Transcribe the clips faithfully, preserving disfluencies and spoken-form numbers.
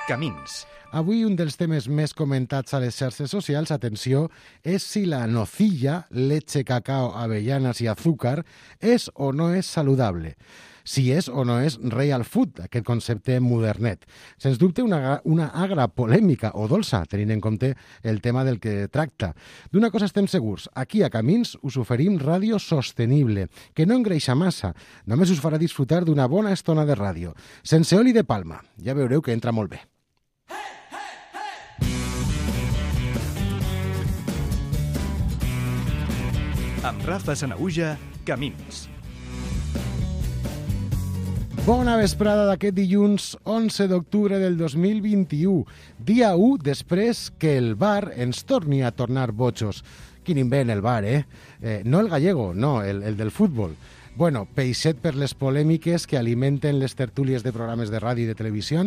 Camins. Avui un dels temes més comentats a les xarxes socials, atenció, és si la nocilla, leche, cacao, avellanas i azúcar és o no és saludable. Si és o no és real food, aquest concepte modernet. Sens dubte una, una agra polèmica o dolça, tenint en compte el tema del que tracta. D'una cosa estem segurs, aquí a Camins us oferim ràdio sostenible, que no engreixa massa, només us farà disfrutar d'una bona estona de ràdio, sense oli de palma. Ja veureu que entra molt bé. Amb Rafa Sanahuja, Camins. Bona vesprada d'aquest dilluns onze d'octubre del dos mil vint-i-u, dia u després que el bar ens torni a tornar bojos. Quin invent el bar, eh? eh no el gallego, no, el, el del futbol. Bueno, peixet per les polèmiques que alimenten les tertúlies de programes de ràdio i de televisió.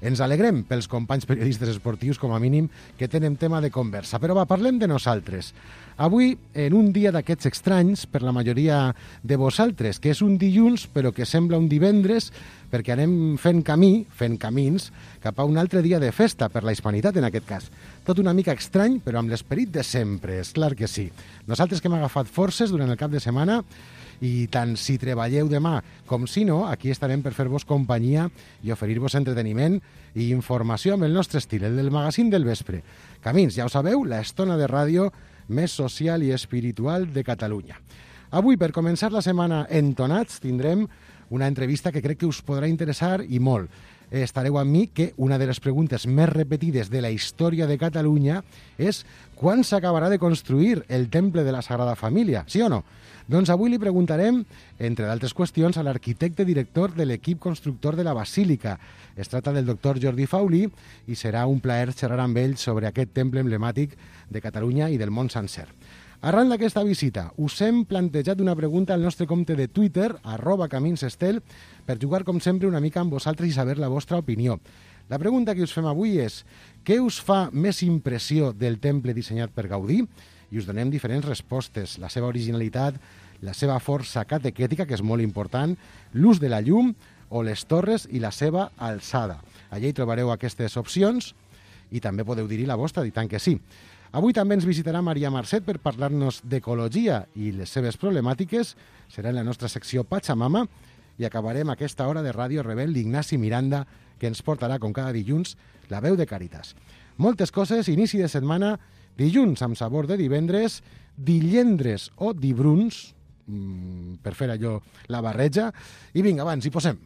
Ens alegrem pels companys periodistes esportius, com a mínim, que tenen tema de conversa. Però va, parlem de nosaltres. Avui, en un dia d'aquests estranys, per la majoria de vosaltres, que és un dilluns, però que sembla un divendres, perquè anem fent camí, fent camins, cap a un altre dia de festa, per la hispanitat en aquest cas. Tot una mica estrany, però amb l'esperit de sempre, és clar que sí. Nosaltres que hem agafat forces durant el cap de setmana, i tant si treballeu demà com si no, aquí estarem per fer-vos companyia i oferir-vos entreteniment i informació amb el nostre estil, el del magazín del vespre. Camins, ja ho sabeu, la estona de ràdio més social i espiritual de Catalunya. Avui, per començar la setmana entonats, tindrem una entrevista que crec que us podrà interessar i molt. Estareu amb mi que una de les preguntes més repetides de la història de Catalunya és quan s'acabarà de construir el temple de la Sagrada Família, sí o no? Doncs avui li preguntarem, entre d'altres qüestions, a l'arquitecte director de l'equip constructor de la Basílica. Es tracta del doctor Jordi Faulí i serà un plaer xerrar amb ell sobre aquest temple emblemàtic de Catalunya i del món sencer. Arran d'aquesta visita, us hem plantejat una pregunta al nostre compte de Twitter, arroba caminsestel, per jugar, com sempre, una mica amb vosaltres i saber la vostra opinió. La pregunta que us fem avui és: què us fa més impressió del temple dissenyat per Gaudí? I us donem diferents respostes, la seva originalitat, la seva força catequètica, que és molt important, l'ús de la llum o les torres i la seva alçada. Allà hi trobareu aquestes opcions i també podeu dir-hi la vostra, i tant que sí. Avui també ens visitarà Maria Marcet per parlar-nos d'ecologia i les seves problemàtiques. Serà en la nostra secció Pachamama i acabarem aquesta hora de Ràdio Rebel d'Ignasi Miranda, que ens portarà, com cada dilluns, la veu de Càritas. Moltes coses, inici de setmana, dilluns amb sabor de divendres, dillendres o dibruns, mmm, per fer allò la barreja, i vinga, abans, hi posem.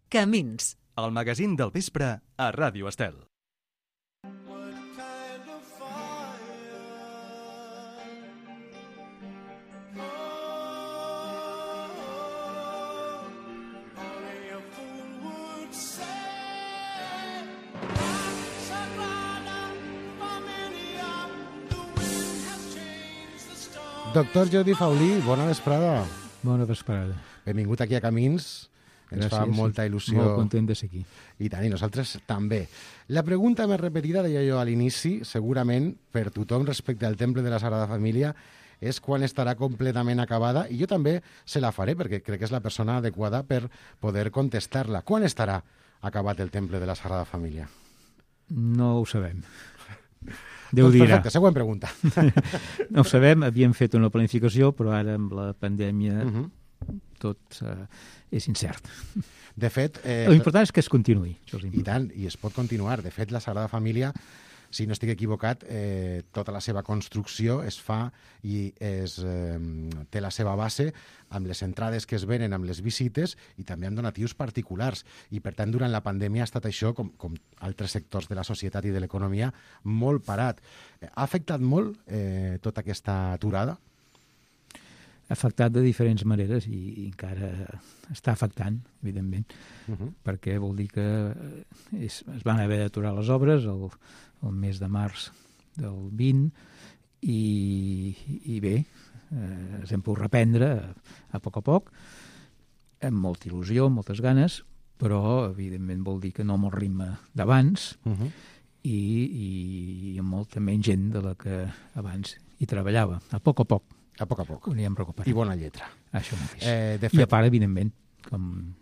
Camins. El magazín del vespre a Ràdio Estel. Doctor Jordi Faulí, bona vesprada. Bona vesprada. Benvingut aquí a Camins. Ens Gràcies. fa molta il·lusió. Molt content de ser aquí. I tant, i nosaltres també. La pregunta més repetida, deia jo a l'inici, segurament per tothom respecte al temple de la Sagrada Família, és quan estarà completament acabada, i jo també se la faré, perquè crec que és la persona adequada per poder contestar-la. Quan estarà acabat el temple de la Sagrada Família? No ho sabem. Déu doncs dirà. Perfecte, següent pregunta. No ho sabem, havíem fet una planificació, però ara amb la pandèmia Uh-huh. tot uh, és incert. De fet... Eh, L'important és que es continuï. Això és I important. tant, i es pot continuar. De fet, la Sagrada Família, si no estic equivocat, eh, tota la seva construcció es fa i es, eh, té la seva base amb les entrades que es venen amb les visites i també amb donatius particulars. I, per tant, durant la pandèmia ha estat això, com, com altres sectors de la societat i de l'economia, molt parat. Ha afectat molt eh, tota aquesta aturada? Ha afectat de diferents maneres i, i encara està afectant, evidentment, Uh-huh. perquè vol dir que és, es van haver d'aturar les obres el, el mes de març del vint i, i bé, eh, ens hem pogut reprendre a, a poc a poc, amb molta il·lusió, amb moltes ganes, però evidentment vol dir que no amb el ritme d'abans Uh-huh. i, i, i amb molta menys gent de la que abans hi treballava, a poc a poc. A poc a poc. Ho anirem recuperant. I bona lletra. Això mateix. Eh, de fet... I fet... a part, evidentment, com,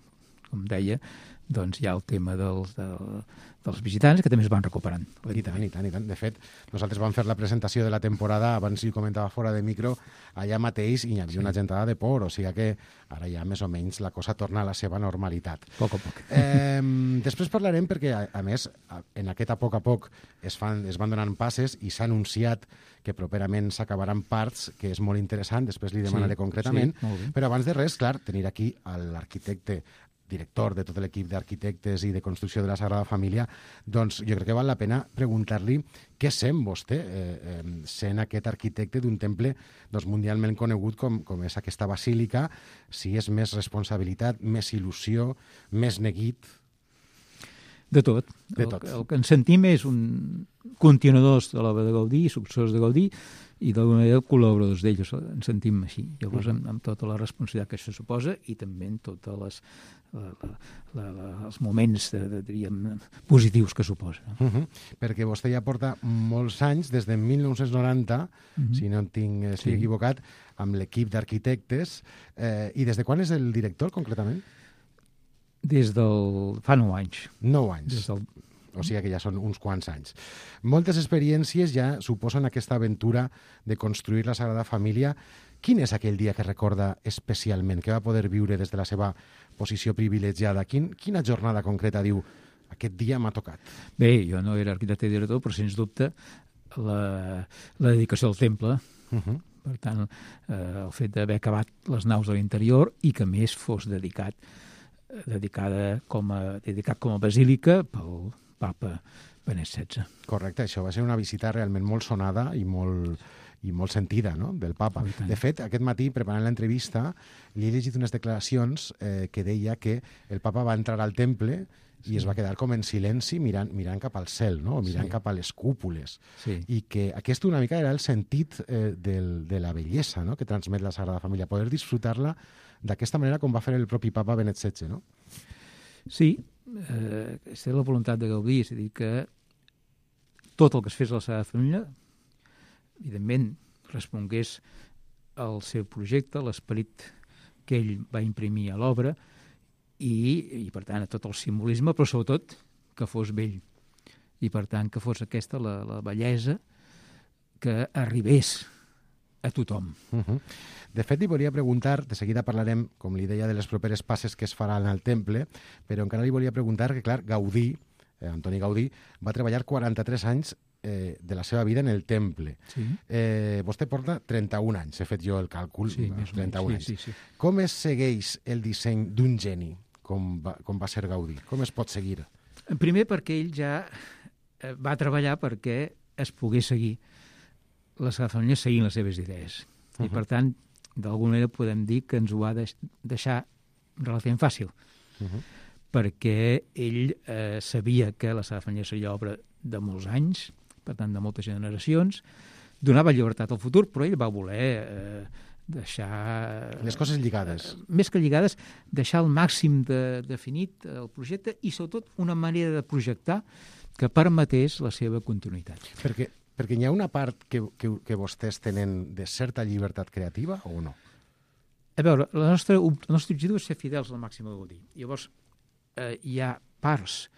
com deia, doncs hi ha el tema dels, del, dels visitants, que també es van recuperant. I tant, i tant, i tant. De fet, nosaltres vam fer la presentació de la temporada, abans hi comentava fora de micro, allà mateix hi havia una gentada de por, o sigui que ara ja més o menys la cosa torna a la seva normalitat. A poc a poc. Eh, després parlarem perquè, a, a més, en aquest a poc a poc es, fan, es van donant passes i s'ha anunciat que properament s'acabaran parts, que és molt interessant, després li demanaré sí, concretament, sí, però abans de res, clar, tenir aquí l'arquitecte director de tot l'equip d'arquitectes i de construcció de la Sagrada Família, doncs jo crec que val la pena preguntar-li què sent vostè, eh, eh, sent aquest arquitecte d'un temple doncs, mundialment conegut com, com és aquesta basílica, si és més responsabilitat, més il·lusió, més neguit... De tot. De el, tot. El que ens sentim és un continuadors de l'obra de Gaudí, successors de Gaudí, i d'alguna manera col·laboradors d'ells, ens sentim així. Llavors, amb, amb tota la responsabilitat que això suposa i també en tots les, la, la, la, els moments de, de, diríem, positius que suposa. Uh -huh. Perquè vostè ja porta molts anys, des de mil nou-cents noranta, uh -huh. si no en tinc, estic sí. equivocat, amb l'equip d'arquitectes. Eh, I des de quan és el director, concretament? Des del... fa nou anys. Nou anys. Des del... O sigui que ja són uns quants anys. Moltes experiències ja suposen aquesta aventura de construir la Sagrada Família. Quin és aquell dia que recorda especialment, que va poder viure des de la seva posició privilegiada? Quin, quina jornada concreta diu, aquest dia m'ha tocat? Bé, jo no era arquitecte i director, però sens dubte la, la dedicació al temple, uh -huh. per tant, eh, el fet d'haver acabat les naus de l'interior i que més fos dedicat dedicada com a, dedicat com a basílica pel papa Benet setze. Correcte, això va ser una visita realment molt sonada i molt, i molt sentida, no?, del papa. De fet, aquest matí, preparant l'entrevista, li he llegit unes declaracions eh, que deia que el papa va entrar al temple i sí. es va quedar com en silenci mirant, mirant cap al cel, no?, o mirant sí. cap a les cúpules. Sí. I que aquest una mica era el sentit eh, del, de la bellesa, no?, que transmet la Sagrada Família, poder disfrutar-la d'aquesta manera com va fer el propi papa Benet setze, no? Sí, eh, és la voluntat de Gaudí, és a dir, que tot el que es fes a la Sagrada Família, evidentment, respongués al seu projecte, l'esperit que ell va imprimir a l'obra i, i, per tant, a tot el simbolisme, però sobretot que fos bell. I, per tant, que fos aquesta la, la bellesa que arribés a tothom. Uh -huh. De fet, li volia preguntar, de seguida parlarem, com li deia, de les properes passes que es faran al temple, però encara li volia preguntar que, clar, Gaudí, eh, Antoni Gaudí, va treballar quaranta-tres anys eh, de la seva vida en el temple. Sí. Eh, vostè porta trenta-un anys, he fet jo el càlcul, sí, trenta-un sí, anys. Sí, sí. Com es segueix el disseny d'un geni, com va, com va ser Gaudí? Com es pot seguir? Primer perquè ell ja va treballar perquè es pogués seguir la Sagrada Família seguint les seves idees. Uh -huh. I, per tant, d'alguna manera podem dir que ens ho va deix deixar relativament fàcil, uh -huh. perquè ell eh, sabia que la Sagrada Família seria obra de molts anys, per tant, de moltes generacions, donava llibertat al futur, però ell va voler eh, deixar... Les coses lligades. Eh, més que lligades, deixar al màxim de, definit el projecte i, sobretot, una manera de projectar que permetés la seva continuïtat. Perquè Perquè hi ha una part que, que, que vostès tenen de certa llibertat creativa o no? A veure, la nostra, el nostre objectiu és ser fidels al màxim de Gaudí. Llavors, eh, hi ha parts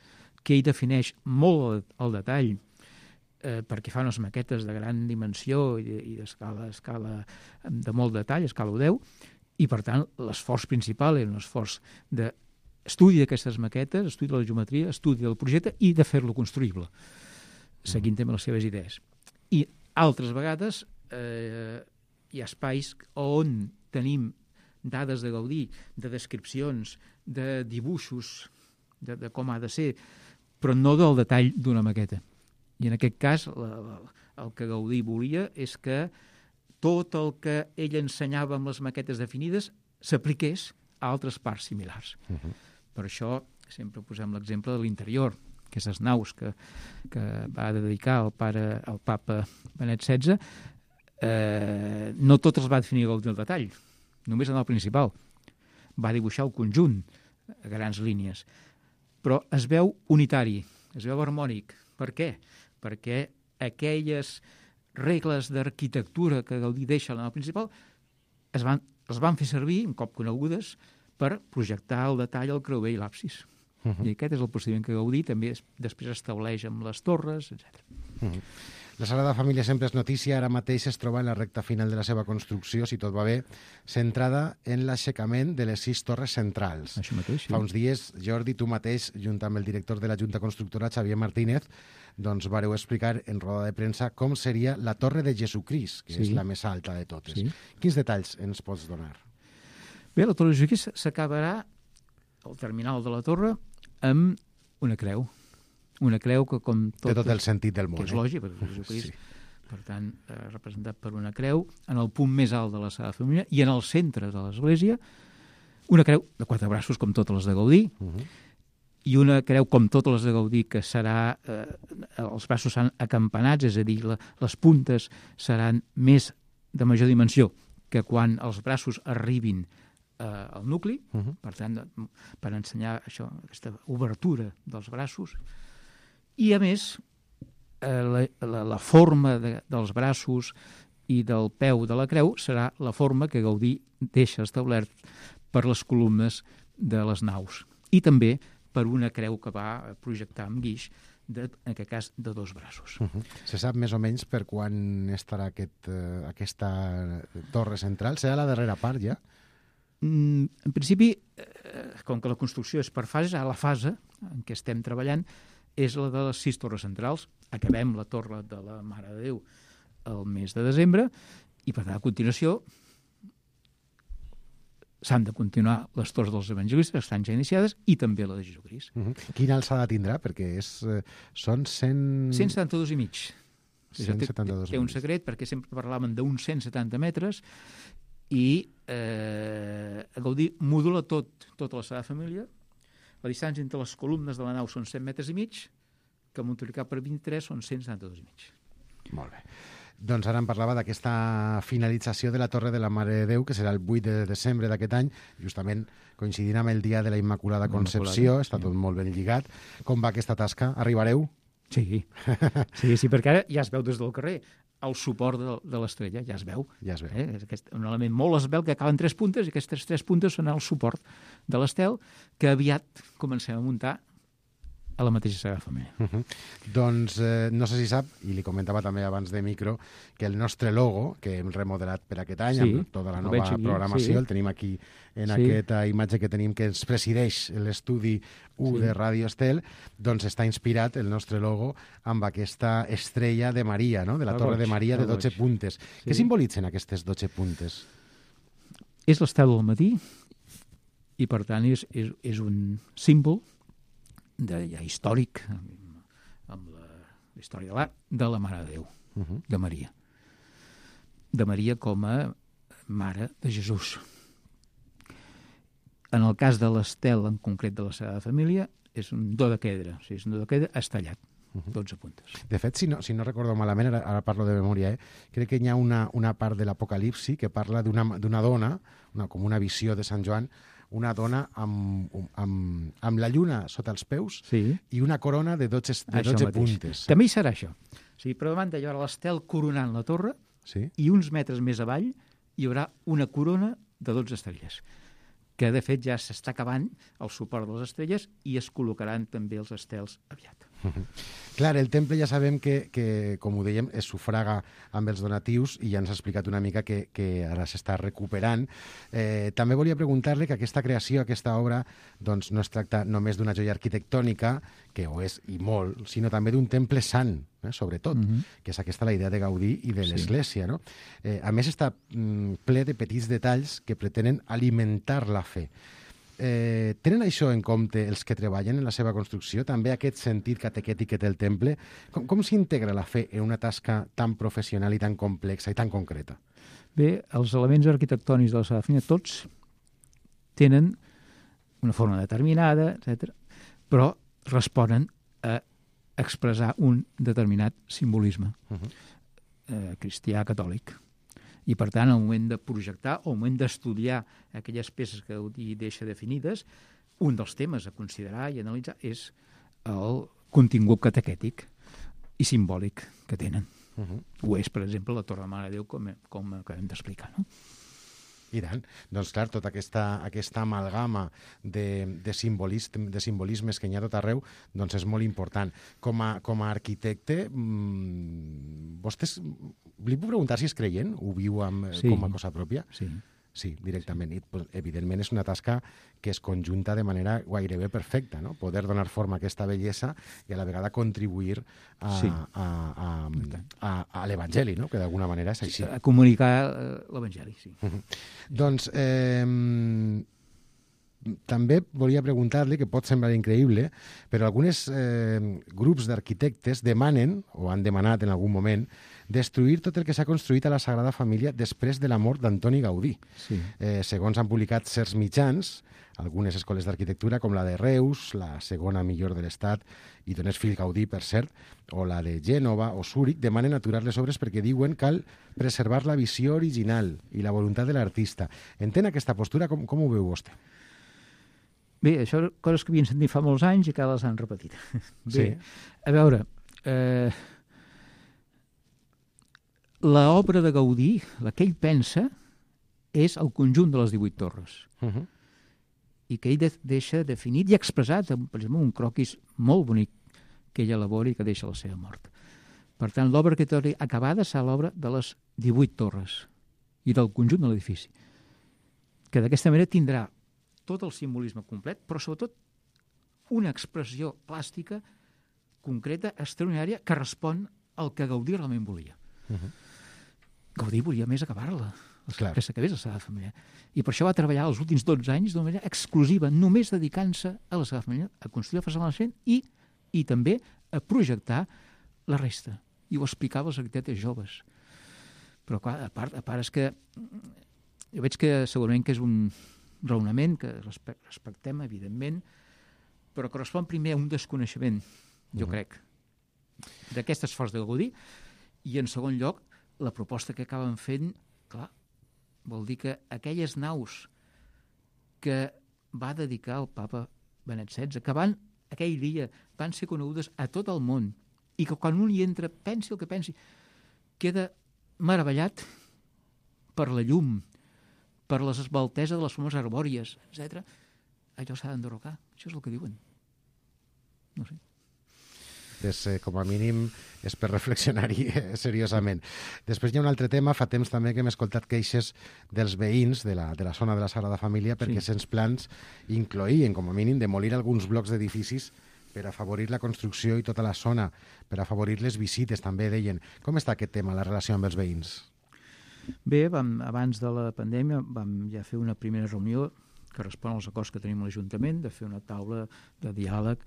que ell defineix molt al detall eh, perquè fa unes maquetes de gran dimensió i, i d'escala escala de molt detall, escala deu, i per tant l'esforç principal era un esforç d'estudi d'aquestes maquetes, estudi de la geometria, estudi del projecte i de fer-lo construïble, seguint també les seves idees. I altres vegades eh, hi ha espais on tenim dades de Gaudí, de descripcions, de dibuixos, de, de com ha de ser, però no del detall d'una maqueta. I en aquest cas la, la, el que Gaudí volia és que tot el que ell ensenyava amb les maquetes definides s'apliqués a altres parts similars. Uh-huh. Per això sempre posem l'exemple de l'interior, aquestes naus que, que va dedicar el, pare, el papa Benet setze, eh, no totes les va definir Gaudí al detall, només en el principal. Va dibuixar el conjunt a grans línies, però es veu unitari, es veu harmònic. Per què? Perquè aquelles regles d'arquitectura que Gaudí deixa a la nau principal es van, es van fer servir, un cop conegudes, per projectar el detall al creuer i l'absis. Uh -huh. I aquest és el procediment que Gaudí també es, després estableix amb les torres, etcètera. Uh -huh. La Sagrada Família sempre és notícia, ara mateix es troba en la recta final de la seva construcció, si tot va bé, centrada en l'aixecament de les sis torres centrals. Això mateix, sí. Fa uns dies, Jordi, tu mateix, junt amb el director de la Junta Constructora, Xavier Martínez, doncs vareu explicar en roda de premsa com seria la Torre de Jesucrist, que sí. és la més alta de totes. Sí. Quins detalls ens pots donar? Bé, la Torre de Jesucrist s'acabarà, al terminal de la torre, amb una creu. Una creu que, com tot... Té tot el sentit del món. Que és eh? lògic, perquè Jesucrist, sí. per tant, eh, representat per una creu, en el punt més alt de la Sagrada Família, i en el centre de l'església, una creu de quatre braços, com totes les de Gaudí, uh -huh. i una creu com totes les de Gaudí, que serà... Eh, els braços seran acampanats, és a dir, la, les puntes seran més de major dimensió que quan els braços arribin eh, al nucli, uh -huh. per tant, per ensenyar això, aquesta obertura dels braços. I, a més, eh, la, la, la forma de, dels braços i del peu de la creu serà la forma que Gaudí deixa establert per les columnes de les naus. I també per una creu que va projectar amb guix, de, en aquest cas, de dos braços. Uh -huh. Se sap més o menys per quan estarà aquest, uh, aquesta torre central? Serà la darrera part, ja? Mm, en principi, eh, com que la construcció és per fases, a la fase en què estem treballant és la de les sis torres centrals. Acabem la torre de la Mare de Déu el mes de desembre i, per tant, a continuació s'han de continuar les torres dels evangelistes, que estan ja iniciades, i també la de Jesucrist. Uh -huh. Quina alçada tindrà? Perquè és, eh, són cent... cent setanta-dos i mig. cent setanta-dos té, té un secret, perquè sempre parlaven d'uns cent setanta metres, i eh, Gaudí modula tot, tota la Sagrada Família. La distància entre les columnes de la nau són cent metres i mig, que multiplicat per vint-i-tres són cent setanta-dos i mig. Molt bé. Doncs ara em parlava d'aquesta finalització de la Torre de la Mare de Déu, que serà el vuit de desembre d'aquest any, justament coincidint amb el dia de la Immaculada Concepció, està tot molt ben lligat. Com va aquesta tasca? Arribareu? Sí, sí, sí, perquè ara ja es veu des del carrer el suport de, de l'estrella, ja es veu. Ja es veu. Eh? És aquest, un element molt esvelt que acaben tres puntes, i aquestes tres puntes són el suport de l'estel, que aviat comencem a muntar a la mateixa Sagrada Família. Uh -huh. Doncs eh, no sé si sap, i li comentava també abans de micro, que el nostre logo, que hem remodelat per aquest any, sí, amb tota la nova aquí, programació, sí. el tenim aquí en sí. aquesta imatge que tenim que ens presideix l'estudi u sí. de Ràdio Estel, doncs està inspirat el nostre logo amb aquesta estrella de Maria, no? de la el Torre goig, de Maria de dotze goig. puntes. Sí. Què simbolitzen aquestes dotze puntes? És l'estel del matí i, per tant, és, és, és un símbol de, ja històric, amb la, la història de l'art, de la Mare de Déu, uh -huh. de Maria. De Maria com a Mare de Jesús. En el cas de l'estel, en concret de la Sagrada Família, és un dodequedre, o sigui, és un dodequedre estallat, uh -huh. dotze puntes. De fet, si no, si no recordo malament, ara, ara parlo de memòria, eh? crec que hi ha una, una part de l'Apocalipsi que parla d'una dona, una, com una visió de Sant Joan, una dona amb, amb, amb la lluna sota els peus sí. i una corona de dotze, de dotze puntes. També hi serà això. O sigui, per davant hi haurà l'estel coronant la torre sí. i uns metres més avall hi haurà una corona de dotze estrelles, que de fet ja s'està acabant el suport de les estrelles i es col·locaran també els estels aviat. Uh -huh. Clar, el temple ja sabem que, que, com ho dèiem, es sufraga amb els donatius i ja ens ha explicat una mica que, que ara s'està recuperant. Eh, també volia preguntar-li que aquesta creació, aquesta obra, doncs no es tracta només d'una joia arquitectònica, que ho és i molt, sinó també d'un temple sant, eh, sobretot, uh -huh. que és aquesta la idea de Gaudí i de sí. l'Església. No? Eh, a més, està mm, ple de petits detalls que pretenen alimentar la fe. Eh, tenen això en compte els que treballen en la seva construcció, també aquest sentit catequètic que té el temple? Com, com s'integra la fe en una tasca tan professional i tan complexa i tan concreta? Bé, els elements arquitectònics de la Sagrada Família tots tenen una forma determinada, etcètera, però responen a expressar un determinat simbolisme uh -huh. eh, cristià catòlic. I, per tant, al moment de projectar o al moment d'estudiar aquelles peces que Gaudí deixa definides, un dels temes a considerar i analitzar és el contingut catequètic i simbòlic que tenen. Uh -huh. Ho és, per exemple, la Torre de Mare de Déu, com, com acabem d'explicar. No? I tant. Doncs clar, tota aquesta, aquesta amalgama de, de, simbolisme, de simbolismes que hi ha tot arreu, doncs és molt important. Com a, com a arquitecte, mmm, vostès, li puc preguntar si és creient? Ho viu amb, Sí. com a cosa pròpia? Sí. Sí, directament. I, pues, evidentment és una tasca que es conjunta de manera gairebé perfecta, no? Poder donar forma a aquesta bellesa i a la vegada contribuir a, Sí. a, a, a, a l'Evangeli, no? Que d'alguna manera és així. A comunicar eh, l'Evangeli, sí. Doncs eh, també volia preguntar-li, que pot semblar increïble, però alguns eh, grups d'arquitectes demanen, o han demanat en algun moment, destruir tot el que s'ha construït a la Sagrada Família després de la mort d'Antoni Gaudí. Sí. Eh, segons han publicat certs mitjans, algunes escoles d'arquitectura, com la de Reus, la segona millor de l'Estat, i d'on és fill Gaudí, per cert, o la de Gènova o Zúrich, demanen aturar les obres perquè diuen cal preservar la visió original i la voluntat de l'artista. Entén aquesta postura? Com, com ho veu vostè? Bé, això són coses que havien sentit fa molts anys i que ara les han repetit. Bé, Sí. a veure, eh, l'obra de Gaudí, la que ell pensa, és el conjunt de les divuit torres. Uh -huh. I que ell de deixa definit i expressat, per exemple, un croquis molt bonic que ell elabora i que deixa la seva mort. Per tant, l'obra arquitectònica acabada serà l'obra de les divuit torres i del conjunt de l'edifici, que d'aquesta manera tindrà tot el simbolisme complet, però sobretot una expressió plàstica concreta, extraordinària, que respon al que Gaudí realment volia. Uh -huh. Gaudí volia més acabar-la, Clar. que s'acabés la Sagrada Família. I per això va treballar els últims dotze anys d'una manera exclusiva, només dedicant-se a la Sagrada Família, a construir la façana naixent i, i també a projectar la resta. I ho explicava als arquitectes joves. Però, clar, a part, a part és que jo veig que segurament que és un raonament que respectem, evidentment, però correspon primer a un desconeixement, jo Uh-huh. crec, d'aquest esforç de Gaudí, i en segon lloc, la proposta que acaben fent, clar, vol dir que aquelles naus que va dedicar el papa Benet setze, que van, aquell dia, van ser conegudes a tot el món, i que quan un hi entra, pensi el que pensi, queda meravellat per la llum, per les esbalteses de les formes arbòries, etcètera. Allò s'ha d'enderrocar. Això és el que diuen. No sé. És, eh, com a mínim, és per reflexionar-hi eh, seriosament. Després hi ha un altre tema, fa temps també que hem escoltat queixes dels veïns de la, de la zona de la Sagrada Família perquè Sí. sens plans incloïen, com a mínim, demolir alguns blocs d'edificis per afavorir la construcció i tota la zona, per afavorir les visites, també deien. Com està aquest tema, la relació amb els veïns? Bé, vam, abans de la pandèmia vam ja fer una primera reunió que respon als acords que tenim a l'Ajuntament, de fer una taula de diàleg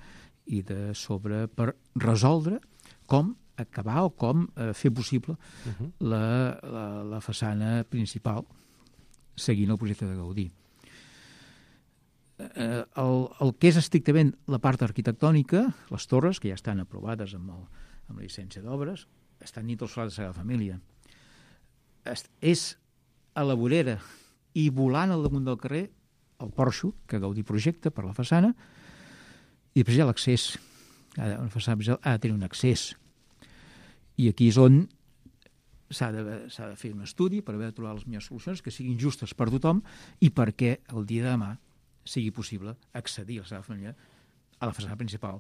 i de sobre per resoldre com acabar o com eh, fer possible Uh-huh. la, la, la façana principal seguint el projecte de Gaudí. Eh, el, el que és estrictament la part arquitectònica, les torres, que ja estan aprovades amb, el, amb la llicència d'obres, estan dins del solar de la Sagrada Família. Es, és a la vorera i volant al damunt del carrer el porxo que Gaudí projecta per la façana, i després hi ha l'accés. Una façana ha de tenir un accés. I aquí és on s'ha de, s'ha de fer un estudi per haver de trobar les millors solucions que siguin justes per tothom i perquè el dia de demà sigui possible accedir a la Sagrada Família a la façana principal,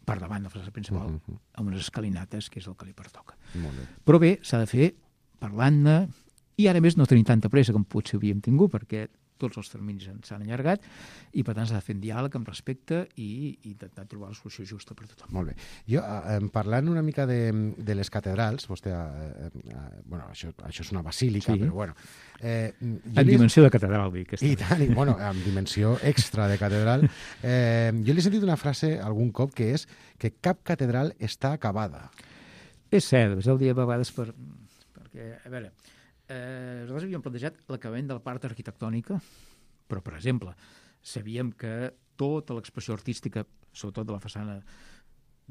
per davant de la façana principal, uh -huh. amb unes escalinates, que és el que li pertoca. Molt bé. Però bé, s'ha de fer parlant-ne, i ara més no tenim tanta pressa com potser havíem tingut, perquè tots els terminis s'han allargat, i per tant s'ha de fer un diàleg amb respecte i, i intentar trobar la solució justa per tothom. Molt bé. Jo, eh, parlant una mica de, de les catedrals, vostè, eh, eh, bueno, això, això és una basílica, Sí. però bueno... Eh, jo En li- dimensió de catedral, dic. I tant, i, bueno, amb dimensió extra de catedral. Eh, jo li he sentit una frase algun cop que és que cap catedral està acabada. És cert, és el dia a vegades per, perquè, a veure, eh, nosaltres havíem plantejat l'acabament de la part arquitectònica, però, per exemple, sabíem que tota l'expressió artística, sobretot de la façana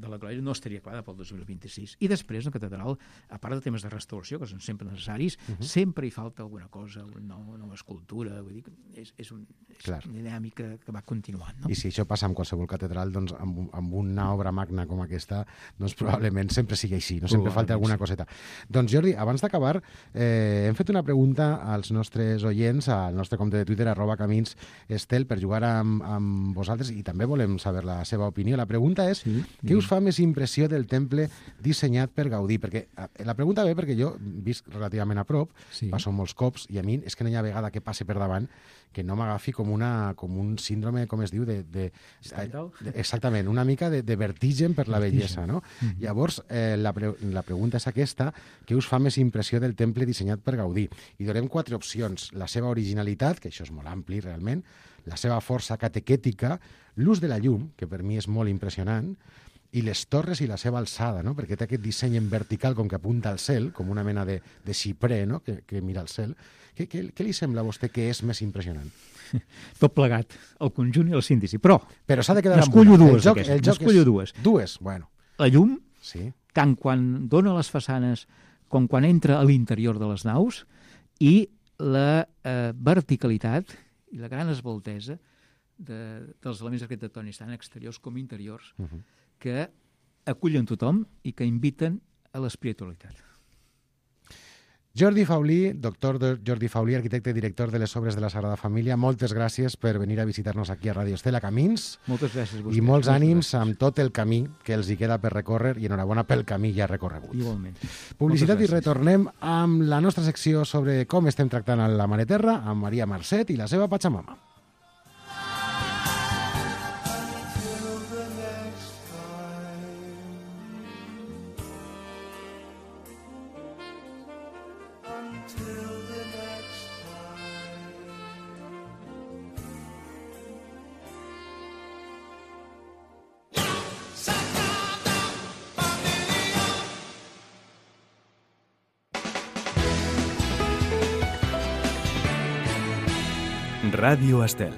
de la Glòria no estaria acabada pel dos mil vint-i-sis. I després, la catedral, a part de temes de restauració, que són sempre necessaris, uh -huh. sempre hi falta alguna cosa, una nova, nova escultura, vull dir que és, és, un, és una dinàmica que va continuant. No? I si això passa amb qualsevol catedral, doncs amb, amb una obra magna com aquesta, doncs probablement sempre sigui així, no sempre falta alguna coseta. Doncs Jordi, abans d'acabar, eh, hem fet una pregunta als nostres oients, al nostre compte de Twitter, arroba Camins Estel, per jugar amb, amb vosaltres, i també volem saber la seva opinió. La pregunta és, sí, què us fa més impressió del temple dissenyat per Gaudí? Perquè la pregunta ve perquè jo visc relativament a prop, sí. passo molts cops, i a mi és que no hi ha vegada que passe per davant que no m'agafi com, una, com un síndrome, com es diu, de, de, de, exactament, una mica de, de vertigen per la bellesa, no? Mm-hmm. Llavors, eh, la, pre la pregunta és aquesta, què us fa més impressió del temple dissenyat per Gaudí? I donem quatre opcions: la seva originalitat, que això és molt ampli realment, la seva força catequètica, l'ús de la llum, que per mi és molt impressionant, i les torres i la seva alçada, no? Perquè té aquest disseny en vertical com que apunta al cel, com una mena de, de xiprer, no? que, que mira al cel. Què, què, què li sembla a vostè que és més impressionant? Tot plegat, el conjunt i el síndici. Però, Però s'ha de quedar amb una. Dues, el joc, el joc és... dues. Dues, bueno. La llum, sí. tant quan dona les façanes com quan entra a l'interior de les naus, i la eh, verticalitat i la gran esbaltesa de, dels elements arquitectònics, tant exteriors com interiors, uh -huh. que acullen tothom i que inviten a l'espiritualitat. Jordi Faulí, doctor Jordi Faulí, arquitecte i director de les obres de la Sagrada Família, moltes gràcies per venir a visitar-nos aquí a Ràdio Estel, a Camins. Moltes gràcies a vostè. I molts ànims amb tot el camí que els hi queda per recórrer, i enhorabona pel camí ja recorregut. Igualment. Publicitat i retornem amb la nostra secció sobre com estem tractant a la Mare Terra, amb Maria Marcet i la seva Pachamama. Ràdio Estel.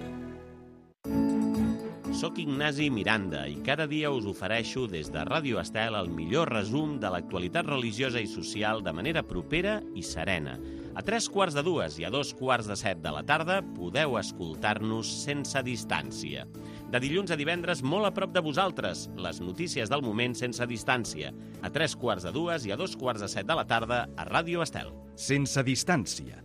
Soc Ignasi Miranda i cada dia us ofereixo des de Ràdio Estel el millor resum de l'actualitat religiosa i social de manera propera i serena. A tres quarts de dues i a dos quarts de set de la tarda podeu escoltar-nos sense distància. De dilluns a divendres, molt a prop de vosaltres, les notícies del moment sense distància. A tres quarts de dues i a dos quarts de set de la tarda a Ràdio Estel. Sense distància.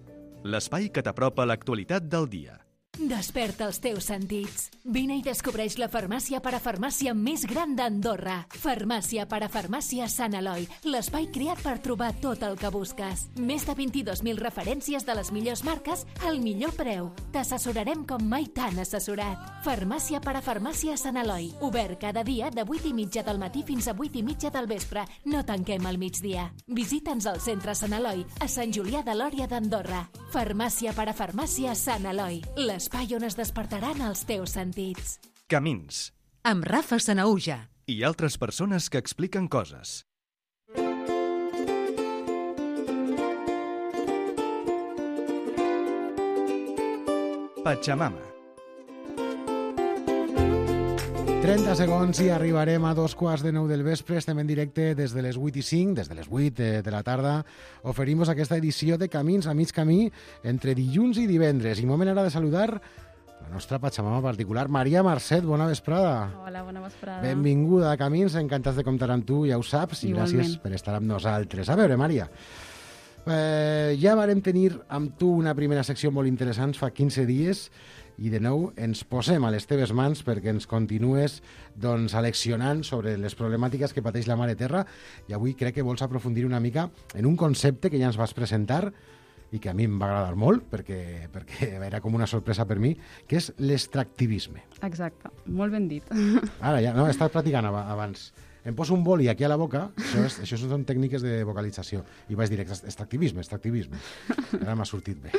L'espai que t'apropa l'actualitat del dia. Desperta els teus sentits. Vine i descobreix la farmàcia parafarmàcia més gran d'Andorra. Farmàcia parafarmàcia Sant Eloi, l'espai creat per trobar tot el que busques. Més de vint-i-dos mil referències de les millors marques al millor preu. T'assessorarem com mai t'han assessorat. Farmàcia parafarmàcia Sant Eloi, obert cada dia de vuit i mitja del matí fins a vuit i mitja del vespre. No tanquem al migdia. Visita'ns al centre Sant Eloi, a Sant Julià de Lòria d'Andorra. Farmàcia parafarmàcia Sant Eloi, l'espai on es despertaran els teus sentits. Camins. Amb Rafa Sanahuja. I altres persones que expliquen coses. Pachamama. trenta segons i arribarem a dos quarts de nou del vespre. Estem en directe des de les vuit i cinc, des de les vuit de, de la tarda. Oferim aquesta edició de Camins a mig camí entre dilluns i divendres. I moment ara de saludar la nostra Pachamama particular, Maria Marcet. Bona vesprada. Hola, bona vesprada. Benvinguda a Camins, encantats de comptar amb tu, ja ho saps, i Igualment. Gràcies per estar amb nosaltres. A veure, Maria, eh, ja vàrem tenir amb tu una primera secció molt interessant fa quinze dies, i de nou ens posem a les teves mans perquè ens continues doncs, aleccionant sobre les problemàtiques que pateix la Mare Terra, i avui crec que vols aprofundir una mica en un concepte que ja ens vas presentar i que a mi em va agradar molt perquè, perquè era com una sorpresa per mi, que és l'extractivisme. Exacte, molt ben dit. Ara ja, no, he estat practicant abans. Em poso un boli aquí a la boca, això, és, això són tècniques de vocalització, i vaig dir extractivisme, extractivisme. Ara m'ha sortit bé.